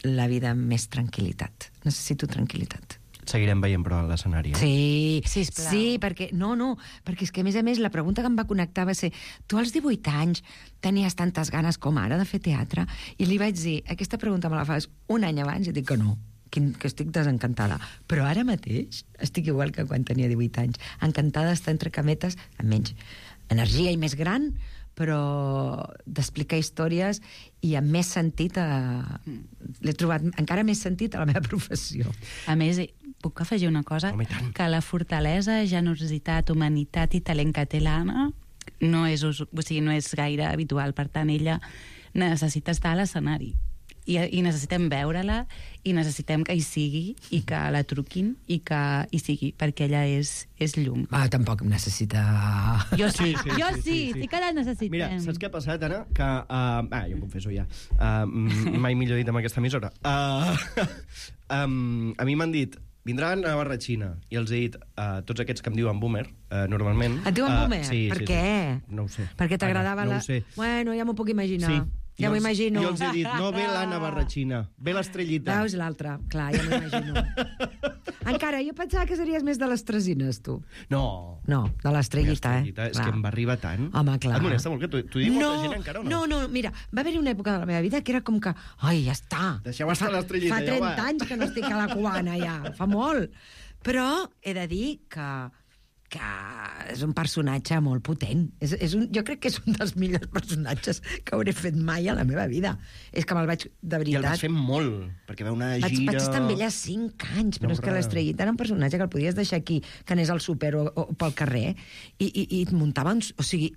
la vida amb més tranquil·litat. Necessito tranquil·litat. Seguirem veient, però, a l'escenari. Eh? Sí, Sisplau. sí, perquè... No, no, perquè és que, a més a més, la pregunta que em va connectar va ser tu als divuit anys tenies tantes ganes com ara de fer teatre? I li vaig dir, aquesta pregunta me la fas un any abans, i dic que no, que, que estic desencantada. Però ara mateix estic igual que quan tenia divuit anys. Encantada d'estar entre cametes, amb menys energia i més gran, però d'explicar històries i amb més sentit a... l'he trobat encara més sentit a la meva professió. A més, puc afegir una cosa? Home, i tant. Que la fortalesa, generositat, humanitat i talent que té l'Anna no és, us- o sigui, no és gaire habitual. Per tant, ella necessita estar a l'escenari. I, i necessitem veure-la i necessitem que hi sigui i que la truquin i que hi sigui, perquè ella és, és llum. Ah, tampoc em necessita... Jo sí, Sí, sí, jo sí, sí, sí, sí. sí que la necessitem. Mira, saps què ha passat, Anna? Que... Uh, ah, jo em confesso ja. Uh, mai millor dit amb aquesta emissora. Uh, um, a mi m'han dit, vindran a Barratxina, i els he dit, uh, tots aquests que em diuen boomer, uh, normalment... Et diuen uh, boomer? Sí, Per sí, què? Sí. No ho sé. Perquè t'agradava Anna, la... No ho sé. Bueno, ja m'ho puc imaginar. Sí. Ja Jo m'ho els- imagino. Jo els he dit, no ve l'Anna Barratxina, ve l'estrellita. Veus l'altra? Clar, ja m'ho imagino. Encara, jo pensava que series més de les tresines, tu. No. No, de l'estrellita, eh? L'estrellita, és Clar. que em va arribar tant. Home, clar. Et molesta molt que t'ho t'ho digui molta gent encara o no? No, no, mira, va haver-hi una època de la meva vida que era com que, ai, ja està. Deixeu estar Fa- l'estrellita, Fa ja trenta va. anys que no estic a la cubana, ja. Fa molt. Però he de dir que que és un personatge molt potent. És, és un, jo crec que és un dels millors personatges que hauré fet mai a la meva vida. És que me'l vaig, de veritat... I el vas fer molt, perquè va una gira... Vaig, vaig estar amb ella cinc anys, però No, és que res. l'estrellita era un personatge que el podies deixar aquí, que anés al súper o, o pel carrer, i, i, i et muntava... Uns, o sigui,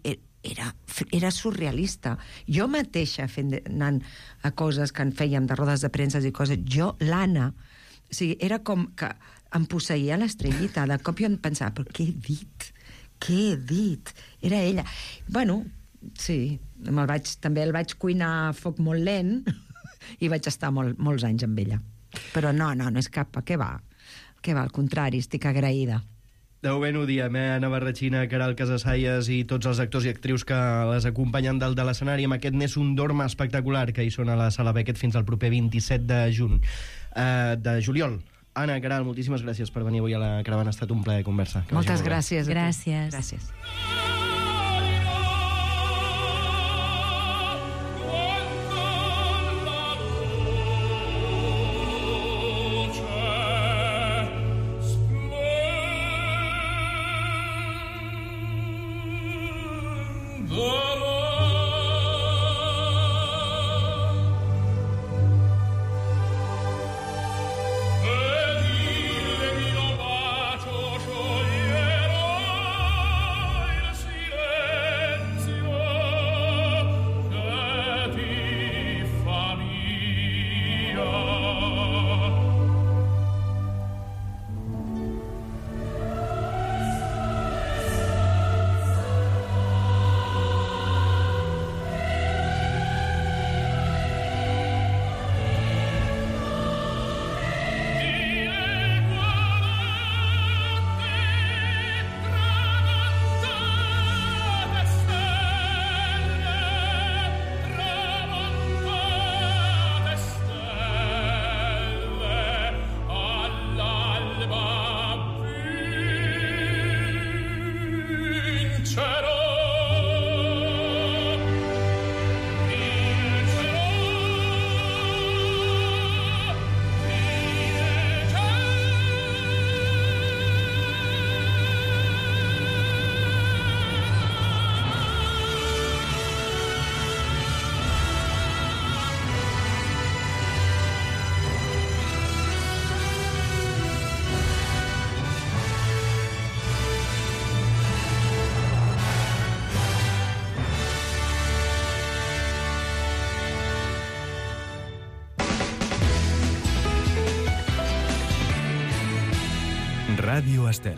era, era surrealista. Jo mateixa, fent, anant a coses que en fèiem de rodes de premsa i coses, jo, l'Anna, o sigui, era com que em posseïa l'estrellita. De cop jo em pensava, però què he dit? Què he dit? Era ella. Bueno, sí, me'l vaig, també el vaig cuinar a foc molt lent i vaig estar molt, molts anys amb ella. però no, no, no és cap... Què va? Què va? Al contrari, estic agraïda. Deu ben ho diem, eh? Anna Barratxina, Caral Casassaies i tots els actors i actrius que les acompanyen dalt de l'escenari amb aquest Nessun Dorma espectacular que hi són a la Sala Beckett fins al proper vint-i-set de juny, eh, de juliol. Anna, Caral, moltíssimes gràcies per venir avui a la Caravana. Ha estat un plaer conversar. Moltes gràcies. Gràcies. Gràcies. Ràdio Estel.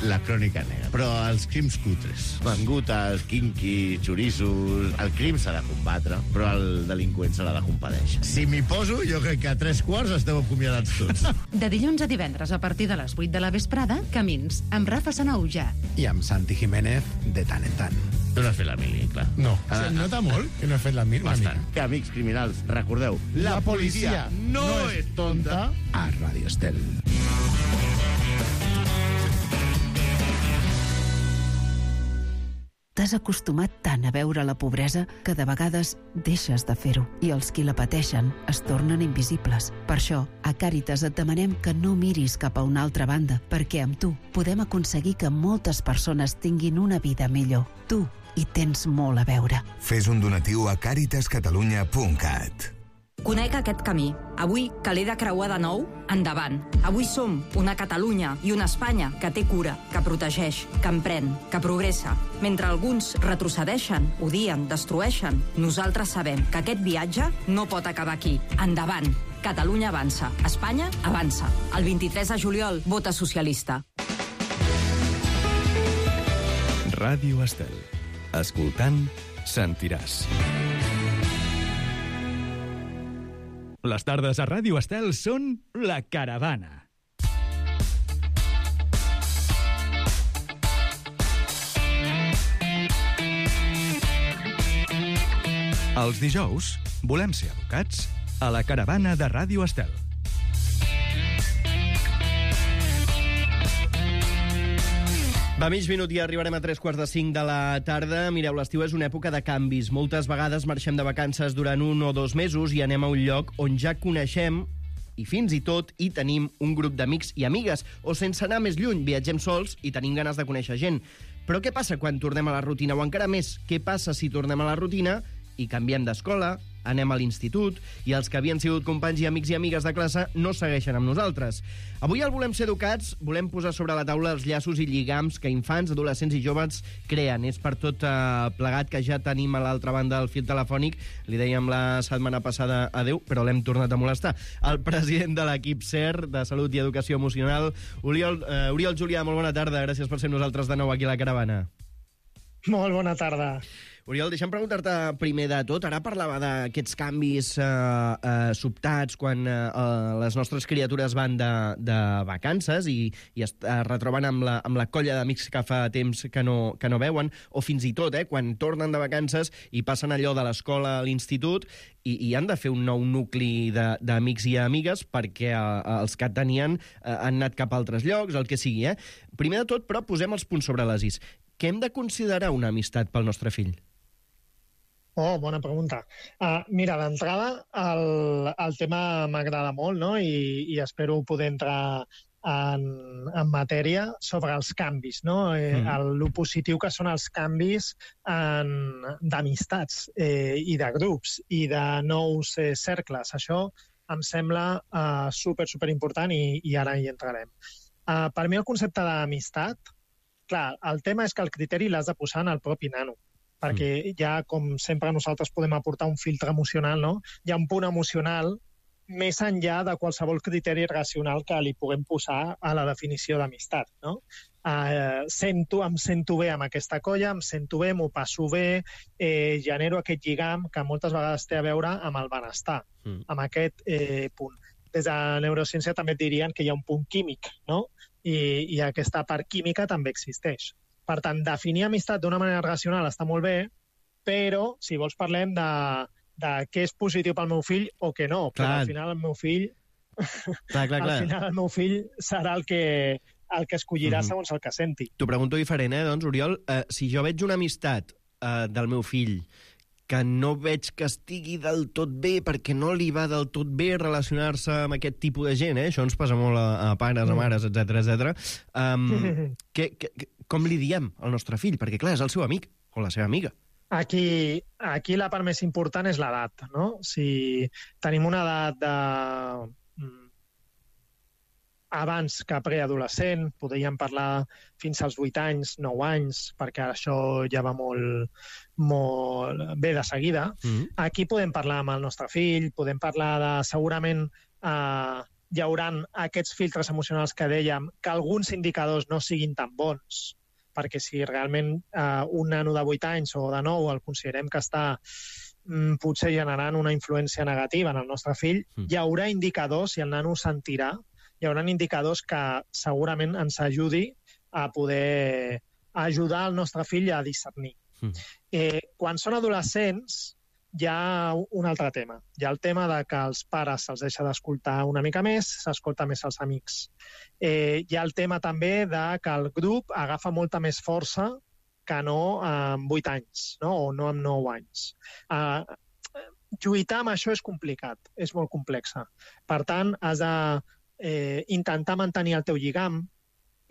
La crònica negra. Però els crims cutres, mangutes, quinqui, xorissos... El crim s'ha de combatre, però el delinqüent se l'ha de compadèixer. Si m'hi poso, jo crec que a tres quarts esteu acomiadats tots. De dilluns a divendres, a partir de les vuit de la vesprada, Camins, amb Rafa Sanauja. I amb Santi Jiménez, de tant en tant. Tu no has fet la mili, clar. No. Ah, Se nota molt que no he fet la mili. Bastant. Que, amics criminals, recordeu, la, la policia, policia no, no és tonta. A Ràdio Estel. T'has acostumat tant a veure la pobresa que de vegades deixes de fer-ho i els qui la pateixen es tornen invisibles. Per això, a Càritas et demanem que no miris cap a una altra banda, perquè amb tu podem aconseguir que moltes persones tinguin una vida millor. Tu hi tens molt a veure. Fes un donatiu a càritas catalunya punt cat. Conec aquest camí. Avui, que l'he de creuar de nou, endavant. Avui som una Catalunya i una Espanya que té cura, que protegeix, que emprèn, que progressa. Mentre alguns retrocedeixen, odien, destrueixen, nosaltres sabem que aquest viatge no pot acabar aquí. Endavant. Catalunya avança. Espanya avança. El vint-i-tres de juliol, vota socialista. Ràdio Estel. Escoltant, sentiràs. Les tardes a Ràdio Estel són La Caravana. Els dijous volem ser educats a La Caravana de Ràdio Estel. Va, mig minut i arribarem a tres quarts de cinc de la tarda. Mireu, l'estiu és una època de canvis. Moltes vegades marxem de vacances durant un o dos mesos i anem a un lloc on ja coneixem i fins i tot hi tenim un grup d'amics i amigues. O sense anar més lluny, viatgem sols i tenim ganes de conèixer gent. Però què passa quan tornem a la rutina? O encara més, què passa si tornem a la rutina i canviem d'escola, anem a l'institut, i els que havien sigut companys i amics i amigues de classe no segueixen amb nosaltres. Avui al Volem ser educats volem posar sobre la taula els llaços i lligams que infants, adolescents i joves creen. És per tot eh, plegat que ja tenim a l'altra banda del fil telefònic, li dèiem la setmana passada adeu, però l'hem tornat a molestar, el president de l'equip S E R de Salut i Educació Emocional, Oriol, eh, Oriol Julià, molt bona tarda, gràcies per ser nosaltres de nou aquí a la Caravana. Molt bona tarda. Oriol, deixa'm preguntar-te primer de tot. Ara parlava d'aquests canvis eh, eh, sobtats quan eh, les nostres criatures van de, de vacances i, i es eh, retroben amb la, amb la colla d'amics que fa temps que no, que no veuen, o fins i tot, eh, quan tornen de vacances i passen allò de l'escola a l'institut i, i han de fer un nou nucli d'amics i amigues perquè eh, els que tenien eh, han anat cap a altres llocs, el que sigui. Eh? Primer de tot, però, posem els punts sobre les is. Què hem de considerar una amistat pel nostre fill? Oh, bona pregunta. Uh, mira, d'entrada, el, el tema m'agrada molt, no? I, i espero poder entrar en, en matèria sobre els canvis, no? Eh, mm. el, lo positiu que són els canvis d'amistats eh, i de grups i de nous eh, cercles. Això em sembla uh, super, super important i, i ara hi entrarem. Uh, per mi el concepte d'amistat, clar, el tema és que el criteri l'has de posar en el propi nano, perquè mm. ja, com sempre nosaltres podem aportar un filtre emocional, no? Hi ha un punt emocional més enllà de qualsevol criteri racional que li puguem posar a la definició d'amistat, no? Uh, sento, em sento bé amb aquesta colla, em sento bé, m'ho passo bé, eh, genero aquest lligam que moltes vegades té a veure amb el benestar, mm. amb aquest eh, punt. Des de la neurociència també et dirien que hi ha un punt químic, no? I, i aquesta part química també existeix. Per tant, definir amistat d'una manera racional està molt bé, però, si vols, parlem de, de què és positiu pel meu fill o què no. Clar. Però al final el meu fill... Clar, clar, clar. Al final el meu fill serà el que, el que escollirà mm-hmm. segons el que senti. T'ho pregunto diferent, eh, doncs, Oriol. Eh, si jo veig una amistat eh, del meu fill que no veig que estigui del tot bé perquè no li va del tot bé relacionar-se amb aquest tipus de gent, eh? Això ens passa molt a, a pares, a mares, etcètera, etcètera. Um, que, que, com li diem al nostre fill? Perquè, clar, és el seu amic o la seva amiga. Aquí, aquí la part més important és l'edat, no? Si tenim una edat de... abans que preadolescent, podríem parlar fins als vuit anys, nou anys, perquè això ja va molt, molt bé de seguida. Mm-hmm. Aquí podem parlar amb el nostre fill, podem parlar de, segurament, eh, hi haurà aquests filtres emocionals que dèiem, que alguns indicadors no siguin tan bons, perquè si realment eh, un nano de vuit anys o de nou el considerem que està mm, potser generant una influència negativa en el nostre fill, mm. hi haurà indicadors, i el nano ho sentirà, hi haurà indicadors que segurament ens ajudi a poder ajudar el nostre fill a discernir. Mm. Eh, quan són adolescents, hi ha un altre tema. Hi ha el tema de que els pares se'ls deixa d'escoltar una mica més, s'escolta més els amics. Eh, hi ha el tema també de que el grup agafa molta més força que no amb vuit anys, no? O no amb nou anys. Eh, lluitar amb això és complicat, és molt complexa. Per tant, has de Eh, intentar mantenir el teu lligam,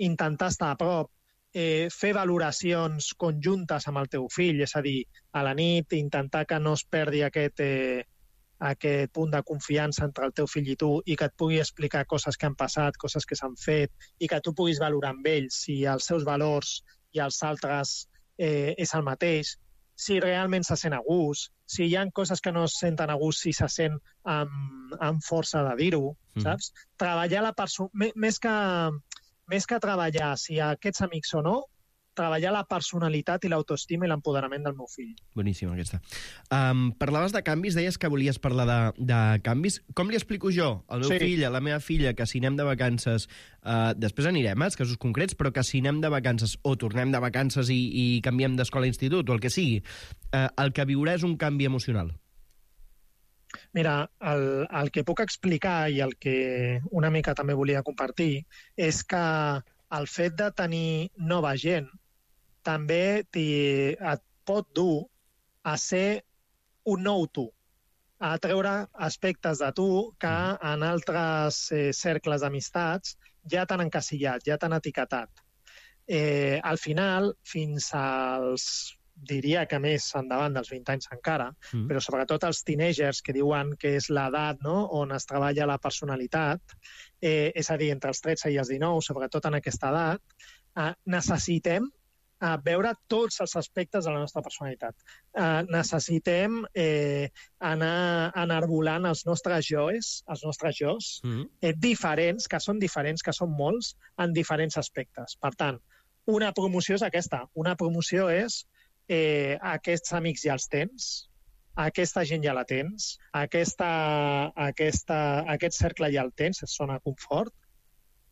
intentar estar a prop, eh, fer valoracions conjuntes amb el teu fill, és a dir, a la nit intentar que no es perdi aquest, eh, aquest punt de confiança entre el teu fill i tu i que et pugui explicar coses que han passat, coses que s'han fet i que tu puguis valorar amb ell si els seus valors i els altres eh, és el mateix, si realment se sent a gust, si hi ha coses que no es senten a gust, si se sent amb, amb força de dir-ho, mm. saps? Treballar la persona... Més que, més que treballar si aquests amics o no, treballar la personalitat i l'autoestima i l'empoderament del meu fill. Boníssim, aquesta. Um, parlaves de canvis, deies que volies parlar de, de canvis. Com li explico jo al meu sí. fill, a la meva filla, que si anem de vacances, uh, després anirem als casos concrets, però que si anem de vacances o tornem de vacances i, i canviem d'escola a institut o el que sigui, uh, el que viurà és un canvi emocional? Mira, el, el que puc explicar i el que una mica també volia compartir és que el fet de tenir nova gent també et pot dur a ser un nou tu, a treure aspectes de tu que en altres eh, cercles d'amistats ja t'han encasillat, ja t'han etiquetat. Eh, al final, fins als, diria que més endavant dels vint anys encara, mm. però sobretot els teenagers que diuen que és l'edat, no?, on es treballa la personalitat, eh, és a dir, entre els tretze i els dinou, sobretot en aquesta edat, eh, necessitem a veure tots els aspectes de la nostra personalitat. Uh, necessitem eh, anar enarbolant els nostres joes, els nostres jos, mm. eh, diferents, que són diferents, que són molts, en diferents aspectes. Per tant, una promoció és aquesta. Una promoció és eh, aquests amics ja els tens, aquesta gent ja la tens, aquesta, aquesta, aquest cercle ja el tens, és zona de confort.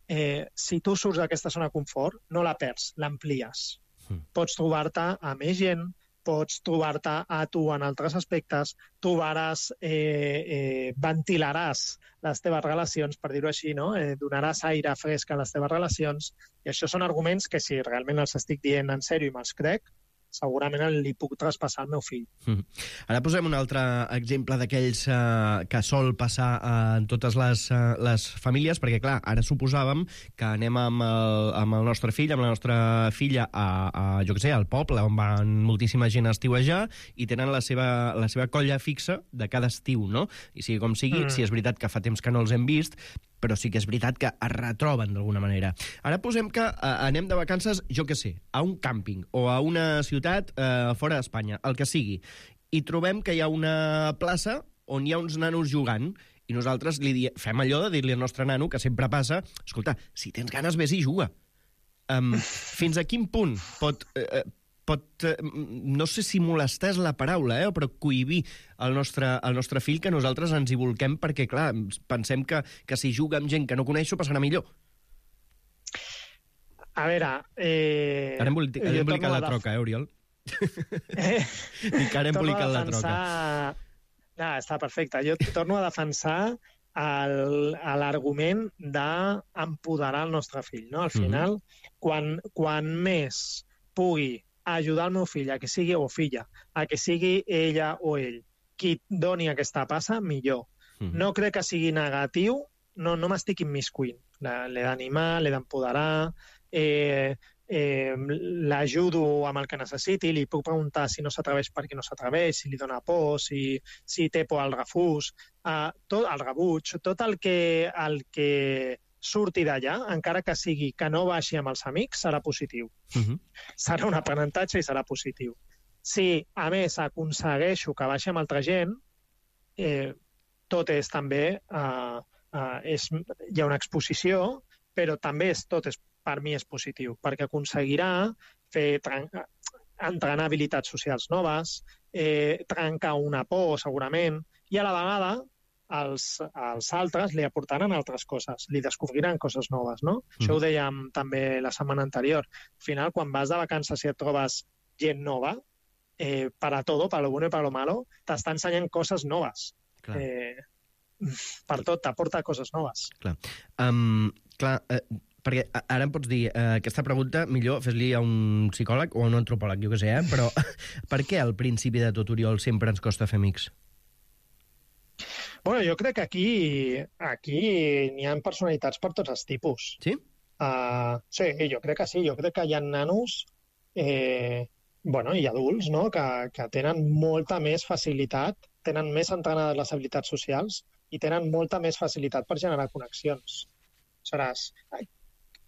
Eh, si tu surts d'aquesta zona de confort, no la perds, l'amplies. Mm. Pots trobar-te a més gent, pots trobar-te a tu en altres aspectes, trobaràs, eh, eh, ventilaràs les teves relacions, per dir-ho així, no? Eh, donaràs aire fresc a les teves relacions, i això són arguments que si realment els estic dient en sèrio i me'ls crec, segurament li puc traspassar al meu fill. Mm. Ara posem un altre exemple d'aquells uh, que sol passar uh, en totes les, uh, les famílies, perquè, clar, ara suposàvem que anem amb el, amb el nostre fill, amb la nostra filla, a, a jo què sé, al poble, on van moltíssima gent a estiuejar, i tenen la seva, la seva colla fixa de cada estiu, no? I sigui com sigui, mm. si és veritat que fa temps que no els hem vist, però sí que és veritat que es retroben d'alguna manera. Ara posem que eh, anem de vacances, jo què sé, a un càmping o a una ciutat eh, fora d'Espanya, el que sigui, i trobem que hi ha una plaça on hi ha uns nanos jugant, i nosaltres li di... fem allò de dir-li al nostre nano, que sempre passa, escolta, si tens ganes, vés i juga. Um, fins a quin punt pot... Eh, pot, eh, no sé si molestar és la paraula, eh, però cohibir el nostre, el nostre fill, que nosaltres ens hi volquem perquè, clar, pensem que, que si juga amb gent que no coneix, ho passarà millor. A veure... Eh... Ara hem embolicat la troca, eh, Oriol? Eh? Dic que ara hem embolicat la troca. Ah, està perfecte. Jo torno a defensar l'argument d'empoderar el nostre fill. No? Al final, mm-hmm. quan, quan més pugui ajudar el meu fill a que sigui, o filla, a que sigui ella o ell qui doni aquesta passa, millor. Mm. No crec que sigui negatiu, no, no m'estic immiscuint. L'he d'animar, l'he d'empoderar, eh, eh, l'ajudo amb el que necessiti, li puc preguntar si no s'atreveix perquè no s'atreveix, si li dona por, si, si té por al refús, eh, tot el rebuig, tot el que, el que surti d'allà, encara que sigui que no baixi amb els amics, serà positiu. Uh-huh. Serà un aprenentatge i serà positiu. Si, a més, aconsegueixo que baixi amb altra gent, eh, tot és també... Eh, eh, és, hi ha una exposició, però també és, tot és, per mi és positiu, perquè aconseguirà fer, entrenar habilitats socials noves, eh, trencar una por, segurament, i a la vegada Els, els altres li aportaran altres coses, li descobriran coses noves, no? Mm. Això ho dèiem també la setmana anterior. Al final, quan vas de vacances i et trobes gent nova, eh, para todo, para lo bueno y para lo malo, t'està ensenyant coses noves. Clar. Eh, per tot, t'aporta coses noves. Clar. Um, clar, eh, perquè ara em pots dir, eh, aquesta pregunta millor fes-li a un psicòleg o a un antropòleg, jo què sé, eh? Però per què al principi de tot, Oriol, sempre ens costa fer amics? Bueno, jo crec que aquí aquí n'hi ha personalitats per tots els tipus. Sí? Uh, sí, jo crec que sí. Jo crec que hi ha nanos eh, bueno, i adults, no?, que, que tenen molta més facilitat, tenen més entrenades les habilitats socials i tenen molta més facilitat per generar connexions. Seràs...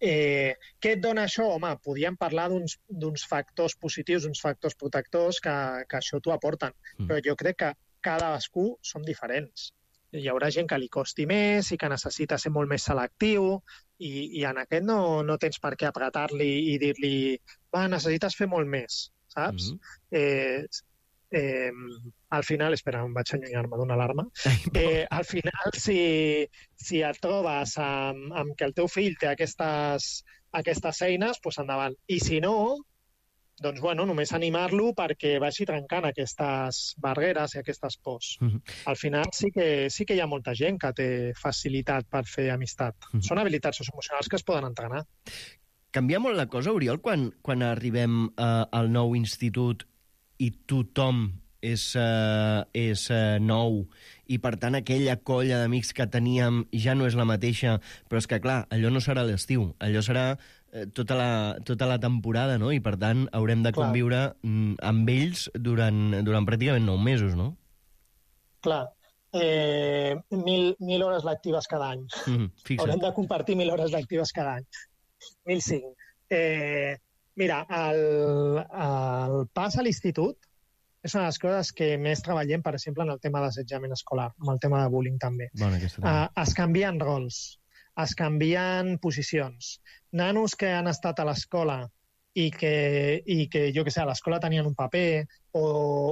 Eh, què et dona això? Home, podríem parlar d'uns factors positius, uns factors protectors que, que això t'ho aporten. Mm. Però jo crec que cadascú som diferents. Hi haurà gent que li costi més i que necessita ser molt més selectiu i, i en aquest no, no tens per què apretar-li i dir-li va, necessites fer molt més, saps? Mm-hmm. eh, eh, al final, espera, em vaig allunyar-me d'una alarma, eh, al final si, si et trobes amb, amb que el teu fill té aquestes, aquestes eines, doncs endavant. I si no, doncs, bueno, només animar-lo perquè vagi trencant aquestes barreres i aquestes pors. Uh-huh. Al final sí que, sí que hi ha molta gent que té facilitat per fer amistat. Uh-huh. Són habilitats socioemocionals que es poden entrenar. Canvia molt la cosa, Oriol, quan, quan arribem uh, al nou institut i tothom és, uh, és uh, nou i, per tant, aquella colla d'amics que teníem ja no és la mateixa, però és que, clar, allò no serà l'estiu, allò serà eh, tota, la, tota la temporada, no? I, per tant, haurem de conviure mm, amb ells durant, durant pràcticament nou mesos, no? Clar. Eh, mil, mil hores lectives cada any. Mm, haurem de compartir mil hores lectives cada any. Mil cinc. Eh, mira, el, el pas a l'institut és una de les coses que més treballem, per exemple, en el tema d'assetjament escolar, amb el tema de bullying també. Bueno, uh, es canvien rols, es canvien posicions. Nanos que han estat a l'escola i que, i que jo que sé, a l'escola tenien un paper o,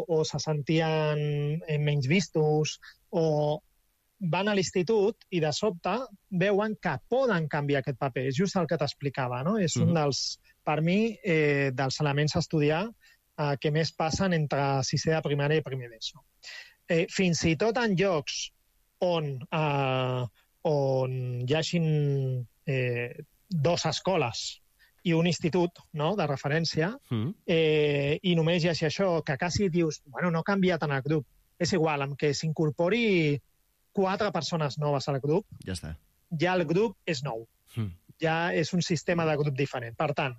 o se sentien menys vistos o van a l'institut i de sobte veuen que poden canviar aquest paper. És just el que t'explicava, no? És un dels, per mi, eh, dels elements a estudiar eh, que més passen entre sisè de primària i primer d'ESO. Eh, fins i tot en llocs on, eh, on hi hagin eh, dos escoles i un institut, no?, de referència, mm. eh, i només hi hagi això, que quasi dius, bueno, no ha canviat en el grup. És igual, amb que s'incorpori quatre persones noves al grup, ja està. Ja el grup és nou. Mm. Ja és un sistema de grup diferent. Per tant,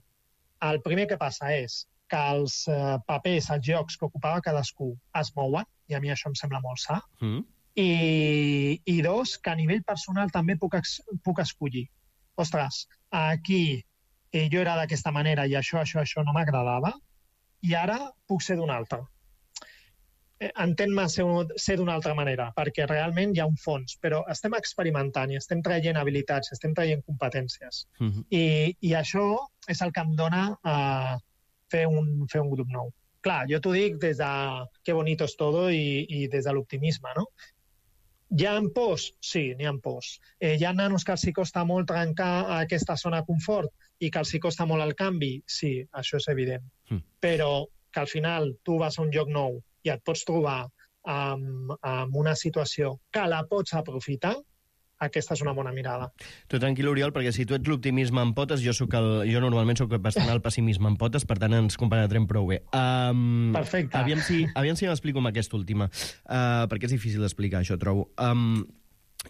el primer que passa és que els eh, papers, els llocs que ocupava cadascú es mouen, i a mi això em sembla molt sa, mm. i, i dos, que a nivell personal també puc, ex, puc escollir. Ostres, aquí eh, jo era d'aquesta manera i això, això, això no m'agradava, i ara puc ser d'una altra. Entén-me ser, ser d'una altra manera, perquè realment hi ha un fons, però estem experimentant i estem traient habilitats, estem traient competències. Uh-huh. I, I això és el que em dona uh, fer, un, fer un grup nou. Clar, jo t'ho dic des de que bonito és todo i, i des de l'optimisme, no? Hi ha pors? Sí, n'hi ha pors. Eh, hi ha nanos que els hi costa molt trencar aquesta zona de confort i que els hi costa molt el canvi? Sí, això és evident. Uh-huh. Però que al final tu vas a un lloc nou i et pots trobar amb, amb una situació que la pots aprofitar, aquesta és una bona mirada. Tu tranquil, Oriol, perquè si tu ets l'optimisme en potes, jo, soc el, jo normalment sóc bastant el pessimisme en potes, per tant ens compenetrem prou bé. Um, Perfecte. Aviam si, aviam si m'explico amb aquesta última, uh, perquè és difícil d'explicar, això, trobo. Um,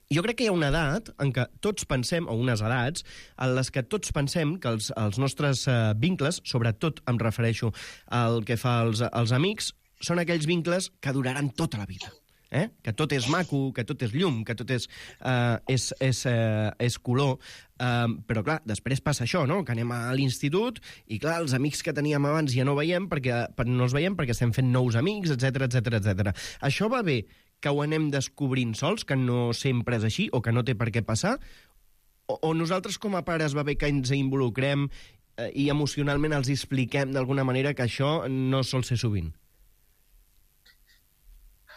jo crec que hi ha una edat en què tots pensem, o unes edats, en les que tots pensem que els, els nostres uh, vincles, sobretot em refereixo al que fa als, als amics, són aquells vincles que duraran tota la vida. Eh? Que tot és maco, que tot és llum, que tot és, uh, és, és, uh, és color. Uh, però, clar, després passa això, no?, que anem a l'institut i, clar, els amics que teníem abans ja no veiem perquè, no els veiem perquè estem fent nous amics, etcètera, etcètera, etcètera. Això va bé que ho anem descobrint sols, que no sempre és així o que no té per què passar? O, o nosaltres com a pares va bé que ens involucrem eh, i emocionalment els expliquem d'alguna manera que això no sol ser sovint?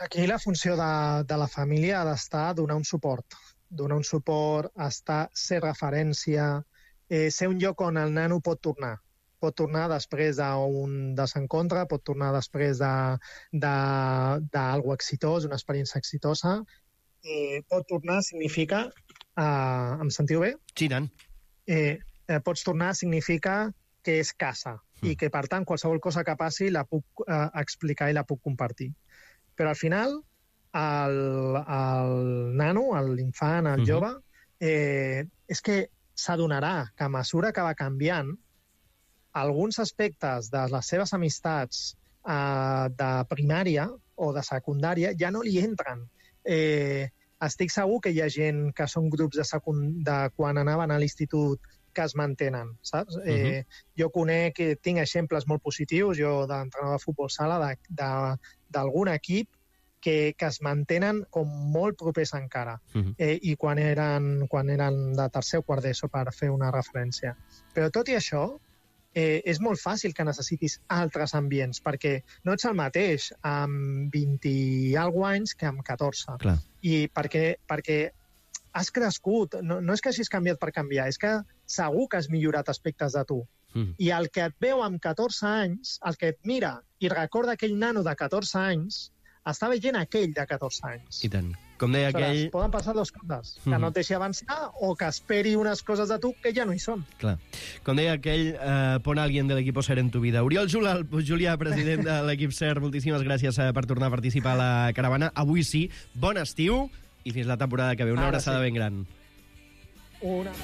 Aquí la funció de, de la família ha d'estar a donar un suport. Donar un suport, estar, ser referència, eh, ser un lloc on el nano pot tornar. Pot tornar després d'un desencontre, pot tornar després d'algo exitós, una experiència exitosa. Eh, pot tornar significa... Eh, em sentiu bé? Sí, tant. Eh, eh, pots tornar significa que és casa mm. i que, per tant, qualsevol cosa que passi la puc eh, explicar i la puc compartir. Però al final, el, el nano, l'infant, el jove, eh, és que s'adonarà que a mesura que va canviant, alguns aspectes de les seves amistats eh, de primària o de secundària ja no li entren. Eh, estic segur que hi ha gent que són grups de, secund... de quan anaven a l'institut que es mantenen, saps? Uh-huh. Eh, jo conec, tinc exemples molt positius, jo d'entrenador de futbol sala, d'algun equip que, que es mantenen com molt propers encara, uh-huh. eh, i quan eren, quan eren de tercer o quart d'ESO, per fer una referència. Però tot i això, eh, és molt fàcil que necessitis altres ambients, perquè no ets el mateix amb vint i alguna anys que amb catorze. Clar. I perquè, perquè has crescut, no, no és que hagis canviat per canviar, és que segur que has millorat aspectes de tu. Mm. I el que et veu amb catorze anys, el que et mira i recorda aquell nano de catorze anys, està veient aquell de catorze anys. I tant. Com deia Aleshores, aquell... poden passar dues coses, que mm. no et deixi avançar o que esperi unes coses de tu que ja no hi són. Clar. Com deia aquell, eh, pon alguien del equipo SER en tu vida. Oriol Julià, president de l'equip SER, moltíssimes gràcies per tornar a participar a la caravana. Avui sí, bon estiu i fins la temporada que ve. Una abraçada ben gran. Una